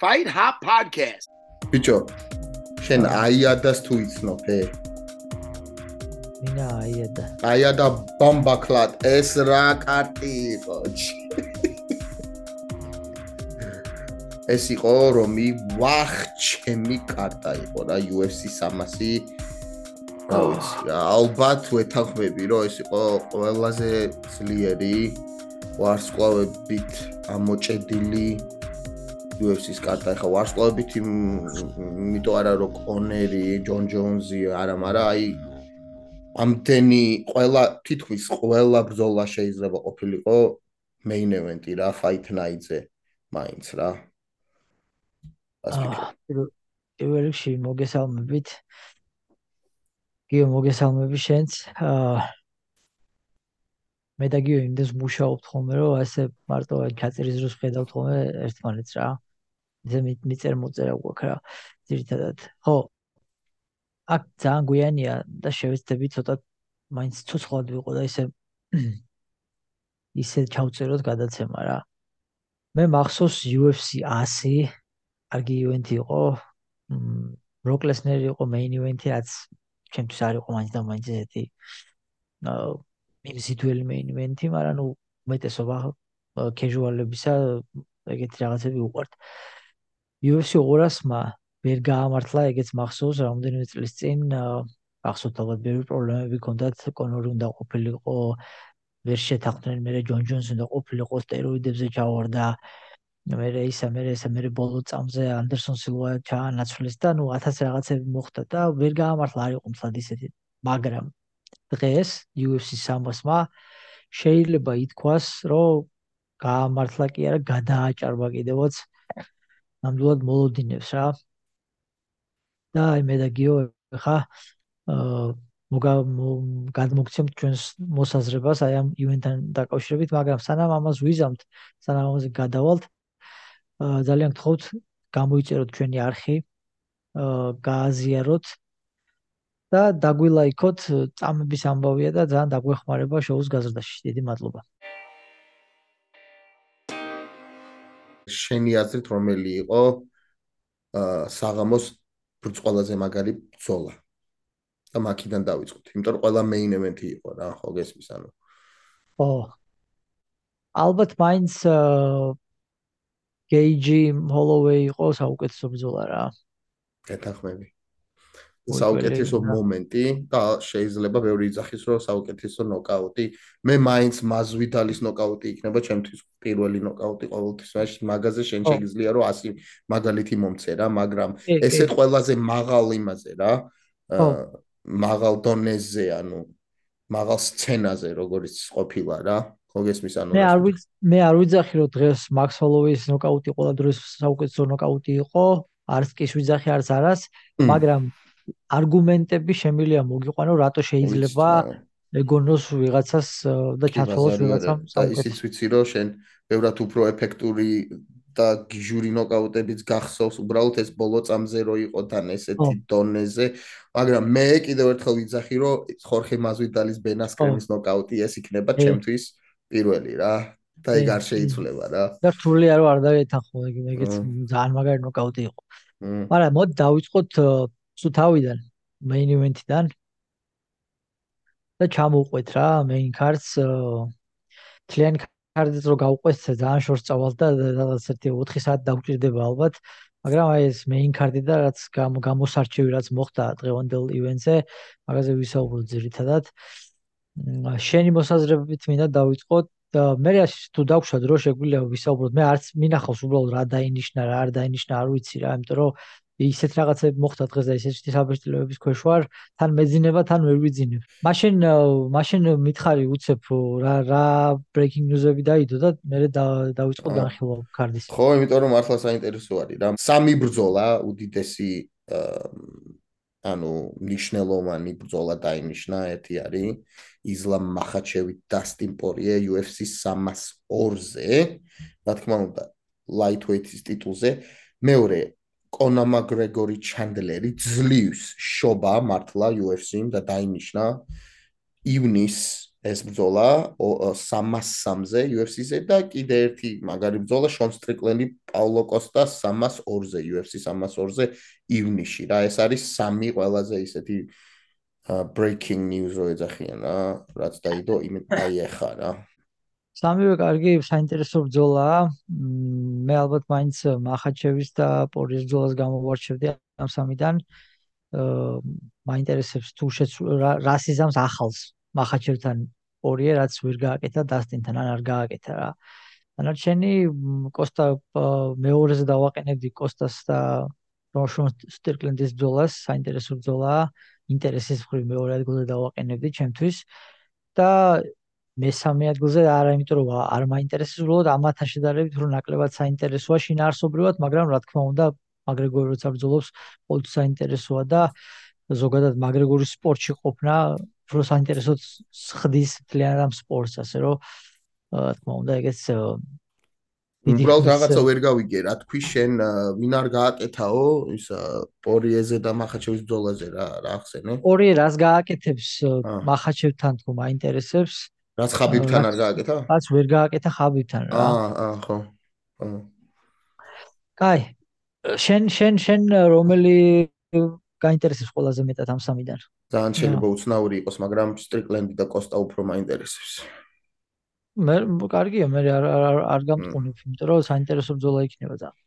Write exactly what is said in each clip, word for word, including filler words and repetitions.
Fight Hub Podcast. ბიჭო, შენ აიადას თუ იცნობ, ე? მინა აიადა. აიადა ბომბაკლად, ეს რა კარტი იყო. ეს იყო რომი ვახ ჩემი კარტა იყო რა U F C სამასი. რა ვიცი, ალბათ ვეთანხმები, რომ ეს იყო ყველაზე ძლიერი ვარსკვლავებით ამოჭედილი U F C-ის კარტა. ეხლა ვარსკვლავებით იმიტომ არა რომ კონერი, ჯონ ჯონზი არა, მაგრამ აი ამდენი ყველა თითქმის ყველა ბრძოლა შეიძლება ყოფილიყო main event-ი რა, fight night-ზე მაინც რა. პირველ რიგში მოგესალმებით. გიო მოგესალმები შენც. მე და გიო იმდეს მუშაობთ ხოლმე, რომ ასე მარტო ჩაწერის დროს ხედავთ ხოლმე ერთმანეთს რა. ისე მიწერ მოწერა გვაქვს რა. ძირითადად. ხო. აქ ძალიან გვიანია და შევეცდები ცოტა მაინც ცოცხლად ვიყო და ისე ისე ჩავწეროთ გადაცემა რა. მე მახსოვს U F C ასი კარგი ივენთი იყო. ბროკ ლესნერი იყო main event-ი, რაც ჩემთვის არ იყო მაინც და მაინც ესეთი მიმზიდველი main event-ი, მაგრამ ნუ უმეტესობა casual-ებისა ეგეთი რაღაცები უყვართ. U F C ორასმა ვერ გაამართლა, ეგეც მახსოვს, რამდენიმე წლის წინ ახსოვთ ალბათ ბევრი პრობლემები ჰქონდათ, კონორი უნდა ყოფილიყო, ვერ შეთანხმდნენ, მერე ჯონ ჯონსი უნდა ყოფილიყო, სტეროიდებზე ჩავარდა. მერე ისა, მერე ისა, მერე ბოლო წამზე ანდერსონ სილვა ჩაანაცვლეს და ნუ ათასი რაღაცები მოხდა და ვერ გაამართლა, არ იყო მთლად ისეთი. მაგრამ დღეს U F C სამასმა შეიძლება ითქვას, რომ გაამართლა კი არა, გადააჭარბა კიდევაც ნამდვილად მოლოდინებს რა. და აი მე და გიო ხა გადმოგცემთ ჩვენს მოსაზრებას აი ამ ივენთთან დაკავშირებით, მაგრამ სანამ ამას ვიზამთ, სანამ ამაზე გადავალთ, ძალიან გთხოვთ გამოიწეროთ ჩვენი არხი, გააზიაროთ და დაგვილაიქოთ, წამების ამბავია და ძალიან დაგვეხმარება შოუს გაზრდაში. დიდი მადლობა. შენი აზრით რომელი იყო საღამოს ყველაზე მაგარი ბრძოლა? და მაქიდან დავიწყოთ, იმიტომ რომ ყველა main event-ი იყო რა, ხო გესმის ანუ. ხო. ალბათ მაინც Gage Holloway იყო საუკეთესო ბრძოლა რა. გეთანხმები. საუკეთესო მომენტი და შეიძლება ბევრი იძახის რომ საუკეთესო ნოკაუტი. მე მაინც მაზვიდალის ნოკაუტი იქნება ჩემთვის პირველი ნოკაუტი ყოველთვის მაშინ მაგაზე შენ შეგიძლია რომ ასი მაგალითი მომცე რა, მაგრამ ესეთ ყველაზე მაღალ იმაზე რა. მაღალ დონეზე, ანუ მაღალ სცენაზე როგორიც ყოფილა რა. ხო გესმის ანუ. მე არ ვიცი, მე არ ვიძახი რომ დღეს Max Holloway-ის ნოკაუტი ყველა დროს საუკეთესო ნოკაუტი იყო, არც კი ვიძახი, არც არას, მაგრამ არგუმენტები შემიძლია მოგიყვანო, რატო შეიძლება ეგონოს ვიღაცას და ჩათვალოს ვიღაცამ საუკეთესო. ისიც ვიცი რომ შენ ბევრად უფრო ეფექტური და გიჟური ნოკაუტებიც გახსოვს, უბრალოდ ეს ბოლო წამზე რო იყო თან ესეთი დონეზე, მაგრამ მე კიდევ ერთხელ ვიძახი რომ ხორხე მაზვიდალის Ben Askren-ის ნოკაუტი ეს იქნება ჩემთვის პირველი რა და ეგ არ შეიცვლება რა. და რთული არო არ დაეთანხმო, ეგეც ძალიან მაგარი ნოკაუტი იყო. მაგრამ მოდი დავიწყოთ სულ თავიდან, main event-დან და ჩამოვყვეთ რა main cards. თლიანი კარდიც რო გავყვეთ, ძალიან შორს წავალთ და რაღაც ერთი ოთხი საათი დაგვჭირდება ალბათ, მაგრამ აი ეს main card-ი და რაც გამოსარჩევი რაც მოხდა დღევანდელ ივენტზე, მაგაზე ვისაუბროთ ძირითადად. შენი მოსაზრებით მინდა დავიწყოთ და მე თუ დავუშვათ რომ შეგვიძლია ვისაუბროთ, მე არც მინახავს უბრალოდ რა დაინიშნა, რა არ დაინიშნა, არ ვიცი რა, იმიტომ რომ ისეთ რაღაცები მოხდა დღეს და ისეთი საბეჭდილებების ქვეშ ვარ, თან მეძინება, თან ვერ ვიძინებ. მაშინ მაშინ მითხარი უცებ რა რა breaking news-ები დაიდო და მე დავიწყო განხილვა კარდის. ხო, იმიტომ რომ მართლა საინტერესო არის რა. სამი ბრძოლა უდიდესი ანუ ნიშნელოვანი ბრძოლა დაინიშნა, ერთი არის ისლამ მახაჩევი დასტინ პორიე U F C სამას ორზე, რა თქმა უნდა, lightweight-ის ტიტულზე. მეორე კონა მაკგრეგორი ჩანდლერი ძლივს შობა მართლა U F C-მ და დაინიშნა ივნის ეს ბრძოლა სამას სამზე იუ ეფ სი-ზე და კიდე ერთი მაგარი ბრძოლა შონ სტრიკლენდი პაულო კოსტას სამას ორზე იუ ეფ სი სამას ორზე ივნისში რა ეს არის სამი ყველაზე ისეთი breaking news რო ეძახიან რა რაც დაიდო იმ აი ახლა რა სამივე კარგი საინტერესო ბრძოლაა მე ალბათ მაინც მახაჩევის და პორიის ბრძოლას გამოვარჩევდი ამ სამიდან მაინტერესებს თუ რა სიზამს ახალს მახაჩევთან პორიე რაც ვერ გააკეთა დასტინთან ან არ გააკეთა რა დანარჩენი კოსტა მეორეზე დავაყენებდი კოსტას და შონ სტრიკლენდის ბრძოლას საინტერესო ბრძოლაა ინტერესის მხრივ მეორე ადგილზე დავაყენებდი ჩემთვის და მესამე ადგილზე არა იმიტომ რომ არ მაინტერესებს უბრალოდ ამათან შედარებით რომ ნაკლებად საინტერესოა შინაარსობრივად მაგრამ რა თქმა უნდა მაგრეგორი როცა ბრძოლობს ყოველთვის საინტერესოა და ზოგადად მაგრეგორის სპორტში ყოფნა უფრო საინტერესოდ ხდის მთლიანად ამ სპორტს ასე რომ რა თქმა უნდა ეგეც უბრალოდ რაღაცა ვერ გავიგე რა თქვი შენ ვინ არ გააკეთაო ის პორიეზე და მახაჩევის ბრძოლაზე რა რა ახსენე პორიე რას გააკეთებს მახაჩევთან თქო მაინტერესებს რაც ხაბიბთან არ გააკეთა რაც ვერ გააკეთა ხაბიბთან რა აა აა ხო კაი შენ შენ შენ რომელი გაინტერესებს ყველაზე მეტად ამ სამიდან ძალიან შეიძლება უცნაური იყოს მაგრამ სტრიკლენდი და კოსტა უფრო მაინტერესებს მე კარგია მე არ არ გამტყუნებ იმიტომ რომ საინტერესო ბრძოლა იქნება ძალიან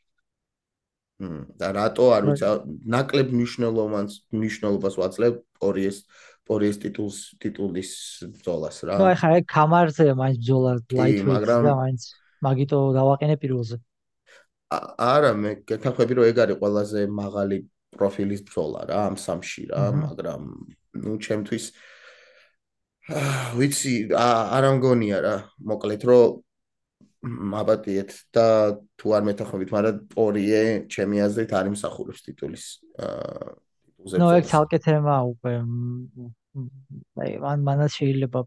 და რატო არ ვიცი ნაკლებ მნიშვნელოვანს მნიშვნელობას ვაძლევ პორიეს პორიეს ტიტულს ტიტულის ბრძოლას რა ნუ ახლა ეგ კამარზე მაინც ბრძოლა ლაითვეიტ და მაინც მაგიტო დავაყენე პირველზე არა მე გეთანხმები რომ ეგ არის ყველაზე მაღალი პროფილის ბრძოლა რა ამ სამში რა მაგრამ ნუ ჩემთვის ვიცი არ ამგონია რა მოკლედ რომ აბატიეთ და თუ არ მეთანხმებით მაგრამ პორიე ჩემი აზრით არ იმსახურებს ტიტულის ტიტულზე ნუ ეგ ცალკე თემა უკვე აი მან მანაც შეიძლება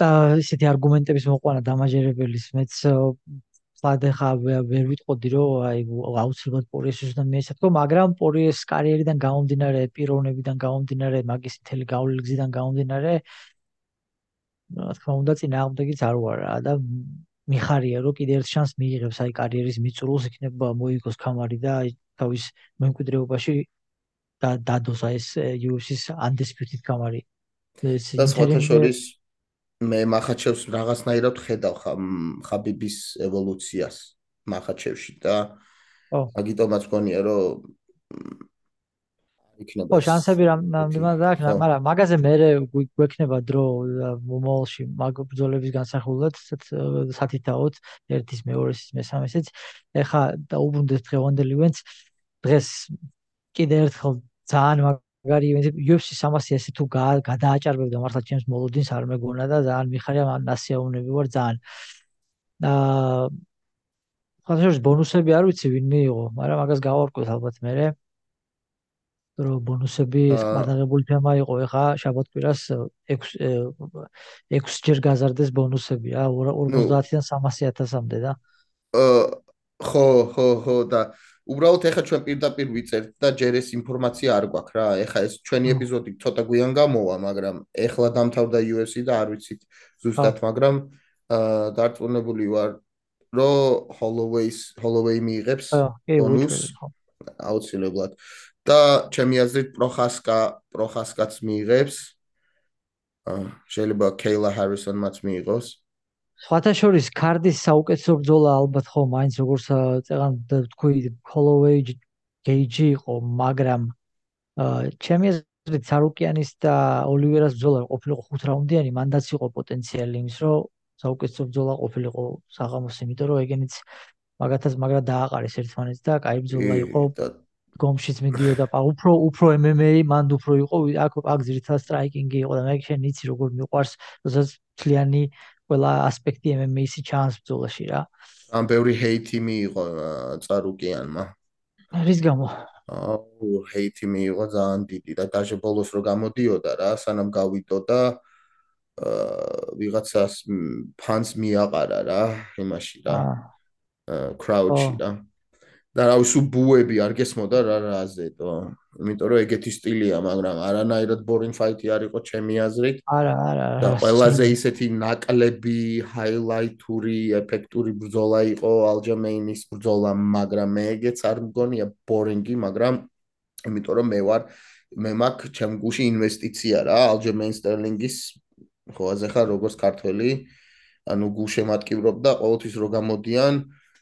და ისეთი არგუმენტების მოყვანა დამაჯერებელის მეც სადახა ვერ ვიტყოდი რომ აი აუცილებლად პორიეს უნდა მეესათქო მაგრამ პორიეს კარიერიდან გამომდინარე პიროვნებიდან გამომდინარე მაგის მთელი გავლილი გზიდან გამომდინარე რა თქმა უნდა წინააღმდეგიც არ ვარ რა და მიხარია რომ კიდე ერთ შანსს მიიღებს აი კარიერის მიწურულს იქნება მოიგოს კამარი და აი თავის მემკვიდრეობაში და დადოს აი ეს იუ ეფ სი-ის undisputed კამარი და სხვათა შორის მე მახაჩევს რაღაცნაირად ხედავ ხაბიბის ევოლუციას მახაჩევში და აგიტომაც გონია რომ იქნება ხო შანსები რამდენად აქვს მაგრამ მაგაზე მე გვექნება დრო მომავალში მაგ ბრძოლების განსახილვად სათითაოდ ერთის მეორეს მესამესაც ეხა დაუბრუნდეთ დღევანდელ ივენტს დღეს კიდე ერთხელ ძალიან მაგარი ივენტი იუ ეფ სი სამასი ესე თუ გადააჭარბებდა მართლა ჩემს მოლოდინს არ მეგონა და ძალიან მიხარია მან ასიაუნები ვარ ძალიან აა ხალხის ბონუსები არ ვიცი ვინ მიიღო მაგრამ მაგას გავარკვევთ ალბათ მე რომ ბონუსები გადაღებული თემა იყო ეხა შაბათ-კვირას ექვს ჯერ გაზარდეს ბონუსები რა ორმოცდაათიდან სამასი ათასამდე და ხო ხო ხო და უბრალოდ ეხა ჩვენ პირდაპირ ვიწერთ და ჯერ ეს ინფორმაცია არ გვაქვს რა ეხა ეს ჩვენი ეპიზოდი ცოტა გვიან გამოვა მაგრამ ეხლა დამთავრდა იუ ეფ სი და არ ვიცით ზუსტად მაგრამ დარწმუნებული ვარ რომ ჰოლოვეის ჰოლოვეი მიიღებს ბონუსს აუცილებლად და ჩემი აზრით პროხასკა პროხასკაც მიიღებს შეიძლება კეილა ჰარისონმაც მიიღოს სხვათა შორის კარდის საუკეთესო ბრძოლა ალბათ ხო მაინც როგორც წეგან თქვი ჰოლოვეი გეიჯი იყო მაგრამ ჩემი აზრით სარუკიანის და ოლივერას ბრძოლა ყოფილიყო ხუთ რაუნდიანი მანდაც იყო პოტენციალი იმის რომ საუკეთესო ბრძოლა ყოფილიყო საღამოს იმიტომ რომ ეგენიც მაგათაც მაგრა დააყარეს ერთმანეთს და კაი ბრძოლა იყო გომშიც მიდიოდა უფრო უფრო эм эм а მანდ უფრო იყო აქ აქ ძირითადად სტრაიკინგი იყო და მე შენ იცი როგორ მიყვარს როდესაც მთლიანი ყველა ასპექტი эм эм а-ისი ჩანს ბრძოლაში რა ამ ბევრი ჰეითი მიიღო წარუკიანმა რის გამო აუ ჰეითი მიიღო ძალიან დიდი და დაჟე ბოლოს რო გამოდიოდა რა სანამ გავიდოდა აა ვიღაცას ფანს მიაყარა რა იმაში რა კრაუდში რა და რა უსუ ბუები არ გესმოდა რა რაზეთო იმიტომ რომ ეგეთი სტილია, მაგრამ არანაირად boring fight-ი არ იყო ჩემი აზრით. არა, არა, და არა. ყველაზე ისეთი ნაკლები, ჰაილაითური, ეფექტური ბრძოლა იყო ალჯამეინის ბრძოლა, მაგრამ მე ეგეც არ მგონია boring-ი, მაგრამ იმიტომ რომ მე ვარ მე მაქვს ჩემ გუში ინვესტიცია რა, ალჯემეინ სტერლინგის ხო აზეხა როგორც ქართველი, ანუ გულშემატკივრობ და ყოველთვის რო გამოდიან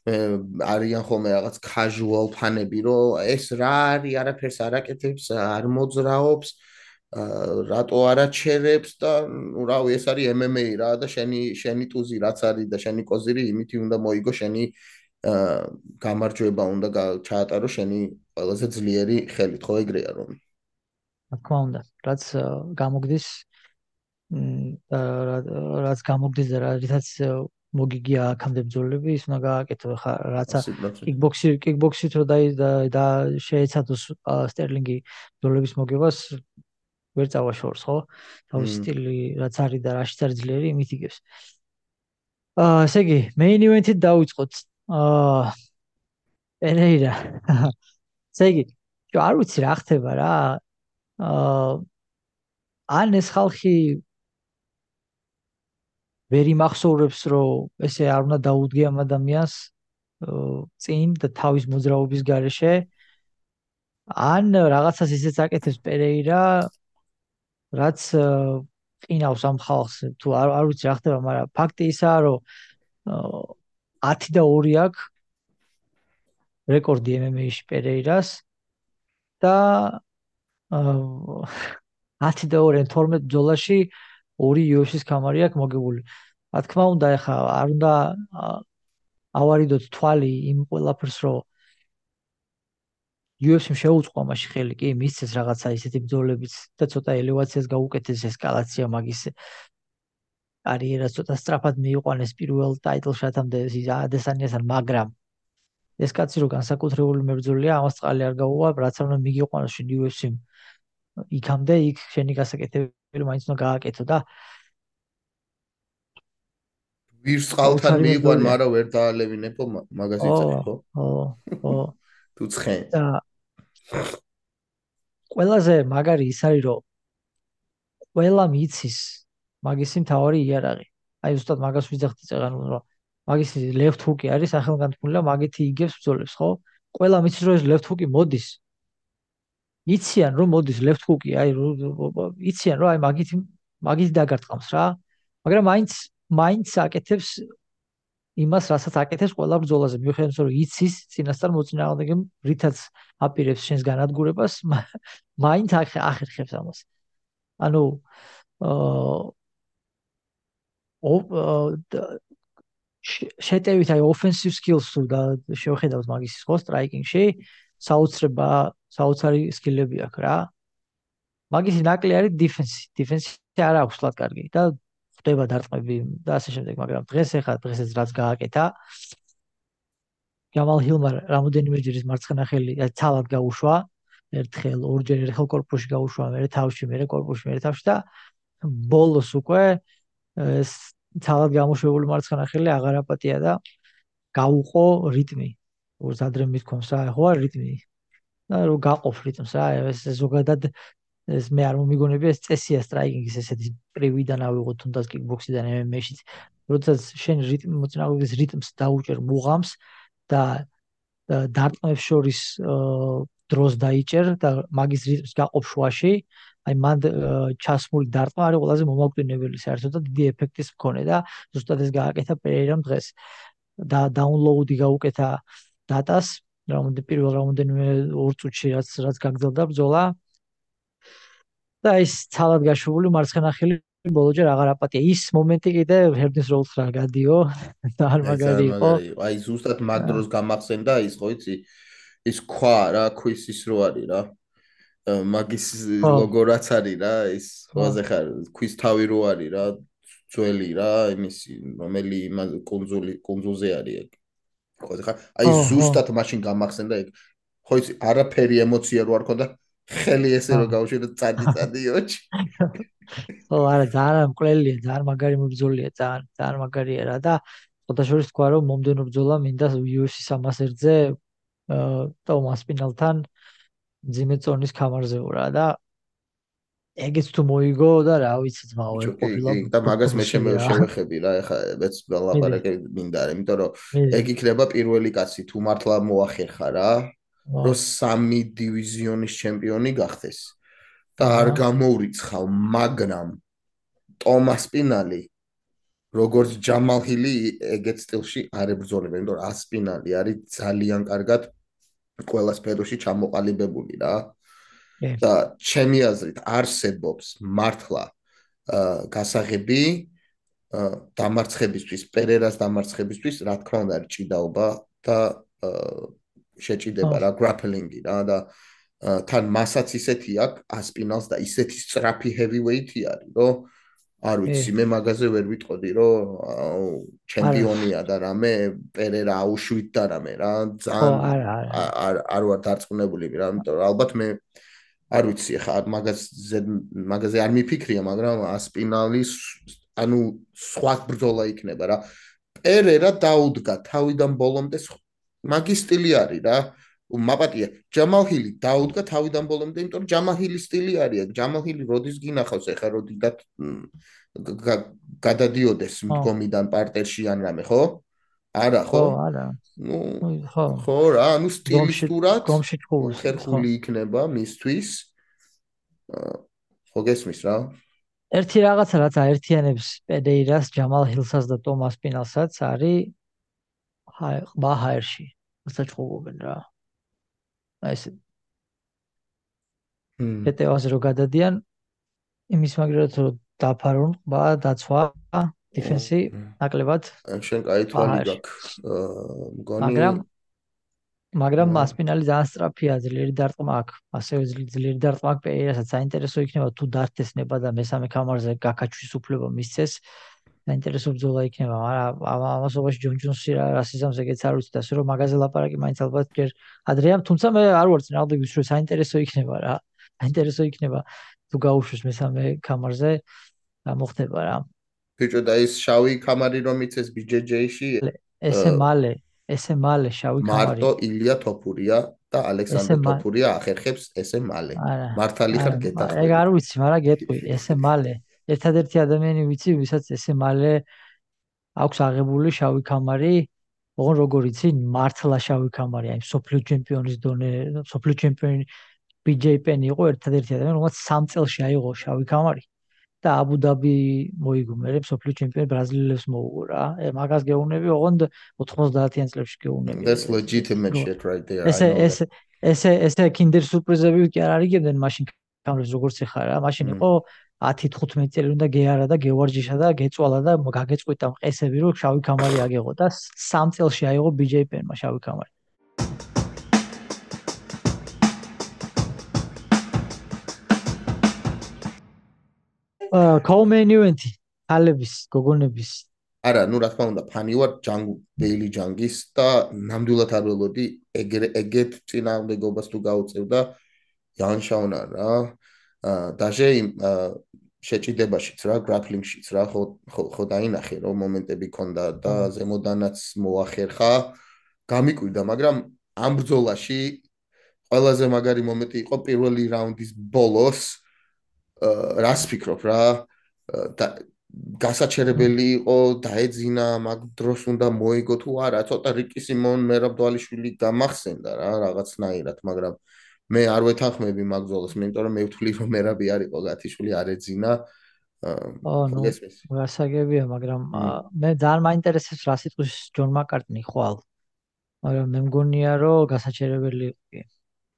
არიან ხოლმე რაღაც casual ფანები, რომ ეს რა არის, არაფერს არ აკეთებს, არ მოძრაობს, რატო არ აჩერებს და ნუ რავი, ეს არის M M A რა და შენი შენი ტუზი რაც არის და შენი კოზირი იმითი უნდა მოიგო, შენი გამარჯვება უნდა ჩაატარო შენი ყველაზე ძლიერი ხელით, ხო ეგრეა რომ. რა თქმა უნდა, რაც გამოგდის რაც გამოგდის და რითაც მოგიგია აქამდე ბრძოლები, ის უნდა გააკეთო ხა რაცა კიკბოქსი კიკბოქსით რო და შეეცადოს სტერლინგი ბრძოლების მოგებას ვერ წავა შორს, ხო? თავის სტილი რაც არის და რაშიც არის ძლიერი, იმით იგებს. აა, ესე იგი, main event-ით დავიწყოთ. აა პერეირა. ესე იგი, არ ვიცი რა ხდება რა. აა ან ეს ხალხი ვერ იმახსოვრებს, რომ ესე არ უნდა დაუდგე ამ ადამიანს წინ და თავის მოძრაობის გარეშე. ან რაღაცას ისეც აკეთებს პერეირა, რაც ყინავს ამ ხალხს, თუ არ არ ვიცი რა ხდება, მაგრამ ფაქტი ისაა, რომ ათი და ორი აქვს რეკორდი M M A-ში პერეირას და ათი და ორი თორმეტ ბრძოლაში ორი U F C-ს კამარი აქვს მოგებული. რა თქმა უნდა, ეხა არ უნდა ავარიდოთ თვალი იმ ყველაფერს, რომ U F C-მ შეუწყო ამაში ხელი, კი, მისცეს რაღაცა ისეთი ბრძოლებიც და ცოტა ელევაციას გაუკეთეს, ესკალაცია მაგის კარიერას ცოტა სწრაფად მიიყვანეს პირველ ტაიტლ შატამდე ადესანიასთან, მაგრამ ეს კაცი რო განსაკუთრებული მებრძოლია, ამას წყალი არ გაუვა, რაც არ უნდა მიგიყვანოს შენ U F C-მ იქამდე, იქ შენი გასაკეთებელი მაინც უნდა გააკეთო და ვირს ყალთან მიიყვან, მაგრამ ვერ დაალევინებო მაგას იწევი, ხო? ხო, ხო. თუ ცხენ. და ყველაზე მაგარი ის არის, რომ ყველა მიცის მაგისი მთავარი იარაღი. აი ზუსტად მაგას ვიძახდი წეგან, რომ მაგისი left hook-ი არის სახელგანთქმული და მაგითი იგებს ბრძოლებს, ხო? ყველა მიცის რომ ეს left hook-ი მოდის. იციან რომ მოდის left hook-ი, აი იციან რომ აი მაგითი მაგითი დაგარტყამს რა. მაგრამ მაინც მაინც აკეთებს იმას, რასაც აკეთებს ყველა ბრძოლაზე, მიუხედავად რომ იცის წინასწარ მოწინააღმდეგემ რითაც აპირებს შენს განადგურებას, მაინც ახერხებს ამას. ანუ აა შეტევით აი offensive skills თუ და შევხედავთ მაგის ხო striking-ში, საოცრება, საოცარი სკილები აქვს რა. მაგისი ნაკლი არის defense-ი. defense-ი არ აქვს სულად კარგი და ხდება დარტყმები და ასე შემდეგ, მაგრამ დღეს ეხლა დღესაც რაც გააკეთა ჯამალ ჰილმა რამოდენიმეჯერ ის მარცხენა ხელი ცალად გაუშვა, ერთხელ, ორჯერ ერთხელ კორპუსში გაუშვა, მერე თავში, მერე კორპუსში, მერე თავში და ბოლოს უკვე ეს ცალად გამოშვებული მარცხენა ხელი აღარ აპატია და გაუყო რიტმი. როგორც ადრე მithქვამს რა, ხო არ რიტმი. და რომ გაყოფ რიტმს რა, ეს ზოგადად ეს მე არ მომიგონებია, ეს წესია სტრაიკინგის ესეთი პრივიდან ავიღოთ თუნდაც კიკბოქსიდან M M A-შიც. როდესაც შენ რიტმ მოწინააღმდეგის რიტმს დაუჭერ მუღამს და დარტყმებს შორის დროს დაიჭერ და მაგის რიტმს გაყოფ შუაში, აი მან ჩასმული დარტყმა არის ყველაზე მომაკვდინებელი საერთოდ და დიდი ეფექტის მქონე და ზუსტად ეს გააკეთა პერეირამ დღეს. და დაუნლოუდი გაუკეთა დატას, რამოდენიმე პირველ რამოდენიმე ორ წუთში რაც რაც გაგრძელდა ბრძოლა. და ის ცალად გაშვებული მარცხენა ხელი ბოლოჯერ აღარ აპატია. ის მომენტი კიდე ჰერდის როლს რა გადიო და არ მაგარი იყო. აი ზუსტად მაგ დროს გამახსენდა ის ხო იცი ის ქვა რა, ქვის ის რო არის რა. მაგის ლოგო რაც არის რა, ის ხოაზე ხარ ქვის თავი რო არის რა, ძველი რა, იმისი რომელი კონძული კონძულზე არის ეგ. ხოაზე ხარ. აი ზუსტად მაშინ გამახსენდა ეგ. ხო იცი არაფერი ემოცია რო არ ქონდა. ხელი ესე რომ გავუშვი წადი წადი ოჩი. ხო, არა, ძალიან მკვლელია, ძალიან მაგარი მებრძოლია, ძალიან, ძალიან მაგარია რა და ხოთაშორის თქვა რომ მომდენო ბრძოლა მინდა U F C სამას ერთზე ტომას პინალთან მძიმე წონის ქამარზე ვარა და ეგეც თუ მოიგო და რა ვიცი ძმაო ეგ კი ყოფილა კი და მაგას მე ბრუსილი რა შევეხები რა ეხლა მეც მიდი ველაპარაკე მინდა იმიტომ რომ მიდი ეგ იქნება პირველი კაცი თუ მართლა მოახერხა რა ო რომ სამი დივიზიონის ჩემპიონი გახდეს და არ აჰა გამოურიცხავ მაგრამ ტომას პინალი როგორც ჯამალ ჰილი ეგეთ სტილში არ ებრძოლება იმიტომ რომ ასპინალი არის ძალიან კარგად ყველა სფეროში ჩამოყალიბებული რა კი და ჩემი აზრით არსებობს მართლა გასაღები დამარცხებისთვის, პერერას დამარცხებისთვის, რა თქმა უნდა, ჭიდაობა და შეჭიდება რა, გრაპლინგი რა და თან მასაც ისეთი აქვს, ასპინალს და ისეთი სწრაფი heavyweight-ი არის, რომ არ ვიცი, მე მაგაზე ვერ ვიტყოდი, რომ ჩემპიონია და რამე, პერერა აუშვით და რამე რა, ძალიან არ არ ვარ დარწმუნებული რა, იმიტომ რომ ალბათ მე არ ვიცი, ხა მაგაზე მაგაზე არ მიფიქრია, მაგრამ ასპინალის ანუ სხვა ბრძოლა იქნება რა. პერერა დაუდგა თავიდან ბოლომდე მაგის სტილი არის რა. მაპატია, ჯამალ ჰილი დაუდგა თავიდან ბოლომდე, იმიტომ რომ ჯამალ ჰილის სტილი არის. ჯამალ ჰილი როდის გინახავს ახლა როდიდან გადადიოდეს მდგომიდან პარტერში ან რამე, ხო? არა, ხო? ხო, არა. ნუ ხო. ხო რა, ანუ სტილისტურად გომში ჭკურის. ხერხული იქნება მისთვის. ხო გესმის რა? ერთი რაღაცა რაც აერთიანებს პედეირას, ჯამალ ჰილსაც და ტომას პინალსაც არის ყბა ჰაერში. საჭყობენ რა. აი ეს პეტევაზე რო გადადიან იმის მაგერად რომ დაფარონ ყბა, დაცვა, დიფენსი ნაკლებად. შენ კაი თვალი გაქვს. მგონი მაგრამ მაგრამ მასპინალი ძალიან სწრაფია, ძლიერი დარტყმა აქვს. ასევე ძლიერი დარტყმა აქვს პეირასაც საინტერესო იქნება თუ დართესნება და მესამე კამარზე გაკაჩვის უფლება მისცეს. საინტერესო ბრძოლა იქნება, მაგრამ ამასობაში ჯონ ჯონსი რა სიზამს ეგეც არ ვიცი და ასე რომ მაგაზე ლაპარაკი მაინც ალბათ ჯერ ადრეა, თუმცა მე არ ვარ წინააღმდეგის რომ საინტერესო იქნება რა. საინტერესო იქნება თუ გაუშვეს მესამე კამარზე რა მოხდება რა. ბიჭო და ის შავი კამარი რომ იცეს ბი ჯეი ჯეი-ში ესე მალე ესე მალე შავი კამარი მარტო ილია თოფურია და ალექსანდრე თოფურია ახერხებს ესე მალე მართალი ხარ გეტახმები ეგ არ ვიცი მაგრამ გეტყვი ესე მალე ერთადერთი ადამიანი ვიცი ვისაც ესე მალე აქვს აღებული შავი კამარი ოღონ როგორ იცი მართლა შავი კამარი აი სოფლიო ჩემპიონის დონე სოფლიო ჩემპიონი ბი ჯეი პენი იყო ერთადერთი ადამიანი რომელსაც სამ წელში აიღო შავი კამარი და აბუ-დაბი მოიგო მე სოფლიო ჩემპიონი ბრაზილიელებს მოუგო რა მაგას გეუბნები ოღონდ ოთხმოცდაათიან წლებში გეუბნები that's legitimate shit right there ესე ესე ესე ესე კინდერ სურპრიზები კი არ არიგებდნენ მაშინ კამერებს როგორც ეხა რა მაშინ იყო ათი თხუთმეტი წელი უნდა გეარა და გევარჯიშა და გეწვალა და გაგეწყვიტა მყესები რომ შავი კამარი აგეღო და სამ წელში აიღო ბი ჯეი პენმა შავი კამარი კოუმენ ივენთი ალების გოგონების არა ნუ რა თქმა უნდა ფანი ვარ ჯანგ ბეილი ჯანგის და ნამდვილად არ ველოდი ეგეთ წინააღმდეგობას თუ გაუწევდა იანშაუნა რა დაჟე შეჭიდებაშიც რა გრაპლინგშიც რა ხო ხო დაინახე რომ მომენტები ქონდა და ზემოდანაც მოახერხა გამიკვირდა მაგრამ ამ ბრძოლაში ყველაზე მაგარი მომენტი იყო პირველი რაუნდის ბოლოს რას ფიქრობ რა და გასაჩერებელი იყო დაეძინა მაგ დროს უნდა მოიგო თუ არა ცოტა რიკი სიმონ მერაბდვალიშვილი გამახსენდა რა რაღაცნაირად მაგრამ მე არ ვეთანხმები მაგ ბრძოლას მე იმიტომ რომ მე ვთვლი რომ მერაბი არ იყო გათიშვილი არ ეძინა ო ნუ გასაგებია მაგრამ მე ძალიან მაინტერესებს რა სიტყვის ჯონ მაკარტნი ხვალ მაგრამ მე მგონია რომ გასაჩერებელი იყო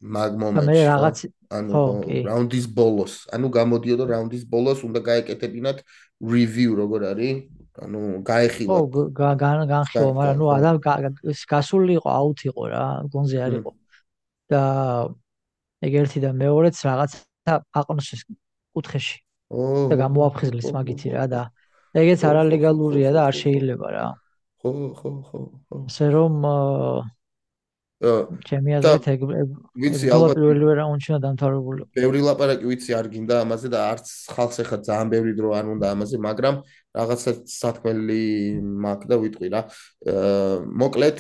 მაგ მომენტში მე რაღაც ანუ რაუნდის ბოლოს ანუ გამოდიოდა რაუნდის ბოლოს უნდა გაეკეთებინათ review როგორ არის ანუ გაეხილა ხო განხილვა მაგრამ ნუ ადამ გასული იყო აუთ იყო რა გონზე არ იყო და ეგ ერთი და მეორეც რაღაცა აყნოსეს კუთხეში და გამოაფხიზლეს მაგითი რა და ეგეც არალეგალურია და არ შეიძლება რა ხო ხო ხო ხო ასე რომ ჩემი აზრით ეგ ვიცი ალბათ პირველი რაუნდში დამთავრებული. ბევრი ლაპარაკი ვიცი არ გინდა ამაზე და არც ხალხს ახლა ძალიან ბევრი დრო არ უნდა ამაზე, მაგრამ რაღაცა სათქმელი მაქვს და ვიტყვი რა. მოკლედ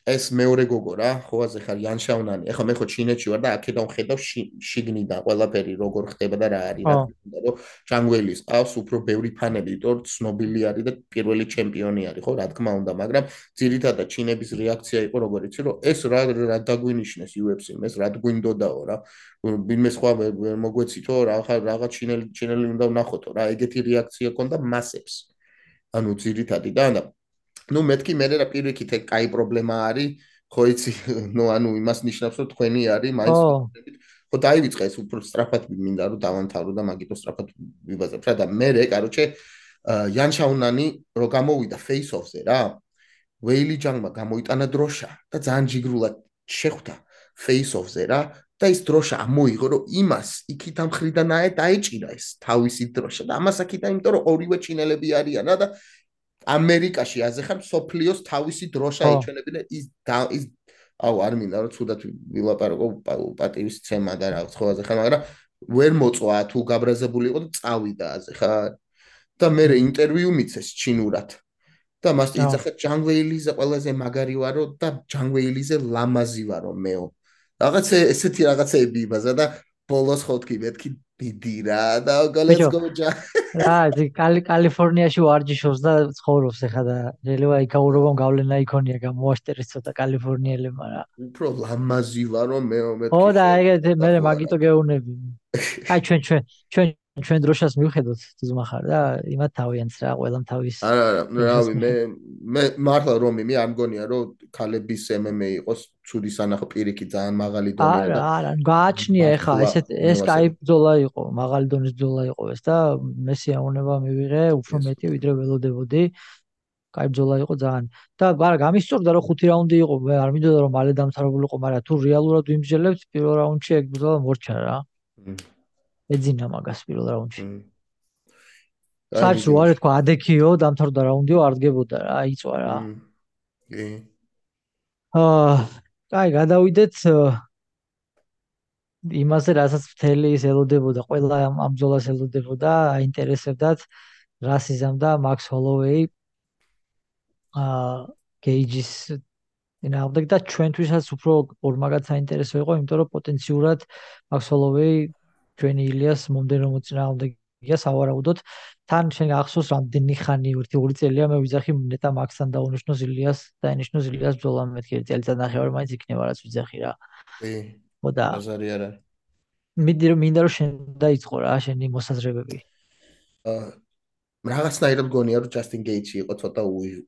ეს მეორე გოგო რა, ხო ასე ხარ იან შაუნანი. ეხლა მე ხო ჩინეთში ვარ და აქედან ხედავ შიგნიდან ყველაფერი როგორ ხდება და რა არის, რა თქმა უნდა, რომ ჯანგველის ყავს უფრო ბევრი ფანები, იმიტომ რომ ცნობილი არის და პირველი ჩემპიონი არის, ხო, რა თქმა უნდა, მაგრამ ძირითადად ჩინების რეაქცია იყო როგორ იცი, რომ ეს რა რა დაგვინიშნეს იუ ეფ სი-მ, ეს რა გვინდოდაო რა. ვინმე სხვა მოგვეცითო, რაღაცა რაღაც ჩინელი ჩინელი უნდა ვნახოთო რა, ეგეთი რეაქცია ქონდა მასებს. ანუ ძირითადად და ну მეთქი მე რა პირიქით ეგ კაი პრობლემა არის ხო იცი ну ანუ იმას ნიშნავს რომ თქვენი არის მაინც ხო დაივიწყე ეს უფრო სწრაფად მინდა რომ დავამთავრო და მაგიტო სწრაფად ვიბაზებ რა და მე რე კაროჩე იან შაუნანი რო გამოვიდა face off-ზე რა ვეილი ჯანგმა გამოიტანა დროშა და ძალიან ჯიგრულად შეხვდა face off-ზე რა და ის დროშა ამოიღო რომ იმას იქით ამ ხრიდან აე დაეჭირა ეს თავისი დროშა და ამას აქიდა იმიტომ რომ ორივე ჩინელები არიან რა და ამერიკაში აზეხარ სოფლიოს თავისი დროშა იჩვენებინა ის ის აუ არ მინდა რომ ცუდად ვილაპარაკო პატივის ცემა და რაღაც ხო აზეხარ მაგრამ ვერ მოწვა თუ გაბრაზებული იყო და წავიდა აზეხარ და მე ინტერვიუ მიცეს ჩინურად და მას იცახა ჯანგვეილიზე ყველაზე მაგარი ვარო და ჯანგვეილიზე ლამაზი ვარო მეო რაღაც ესეთი რაღაცები იბაზა და ბოლოს ხო თქვი მეთქი დიდი რა და let's go რა კალიფორნიაში ვარჯიშობს და ცხოვრობს ეხა და რელევა იქაურობამ გავლენა იქონია გამოაშტერეს ცოტა კალიფორნიელებმა რა უფრო ლამაზი ვარო მეო მეთქი ხო და ეგეთ მე მაგიტო გეუნები აი ჩვენ ჩვენ ჩვენ ჩვენ დროშას მივხედოთ ძმახარ და იმათ თავიანს რა ყველამ თავის არა არა რავი მე მე მართლა რომ მე არ მგონია რომ ქალების em em a იყოს ცუდი სანახო პირიქით ძალიან მაღალი დონეა და არა არა გააჩნია ეხა ესეთ ეს кай ბრძოლა იყო მაღალი დონის ბრძოლა იყო ეს და მე სიამოვნება მივიღე უფრო მეტი ვიდრე ველოდებოდი кай ბრძოლა იყო ძალიან და არა გამისწორდა რომ ხუთი რაუნდი იყო მე არ მინდოდა რომ მალე დამთავრებულიყო მაგრამ თუ რეალურად ვიმსჯელებთ პირველ რაუნდში ეგ ბრძოლა მორჩა რა ეძინა მაგას პირველ რაუნდში საერთოდ არ თქვა ადექიო დამთავრდა რაუნდიო არ დგებოდა რა იწვა რა კი აა კაი გადავიდეთ იმაზე რასაც მთელი ის ელოდებოდა ყველა ამ ბრძოლას ელოდებოდა აინტერესებდათ რასიზამ და მაქს ჰოლოვეი აა გეიჯის ინაუდეკ და ჩვენთვისაც უფრო ორმაგად საინტერესო იყო იმიტომ რომ პოტენციურად მაქს ჰოლოვეი ჩვენი ილიას მომდენო მოწინააღმდეგეა სავარაუდოდ თან შენ ახსოვს რამდენი ხანი ერთი ორი წელია მე ვიძახი ნეტა მაქსთან დაუნიშნოს ილიას და ენიშნოს ილიას ბრძოლა მეთქი წელიწად ნახევარი მაინც იქნება რაც ვიძახი რა კი ხო და აზარი არა მინდა რომ მინდა რომ შენ დაიწყო რა შენი მოსაზრებები აა რაღაცნაირად გონია რომ ჯასტინ გეიჯი იყო ცოტა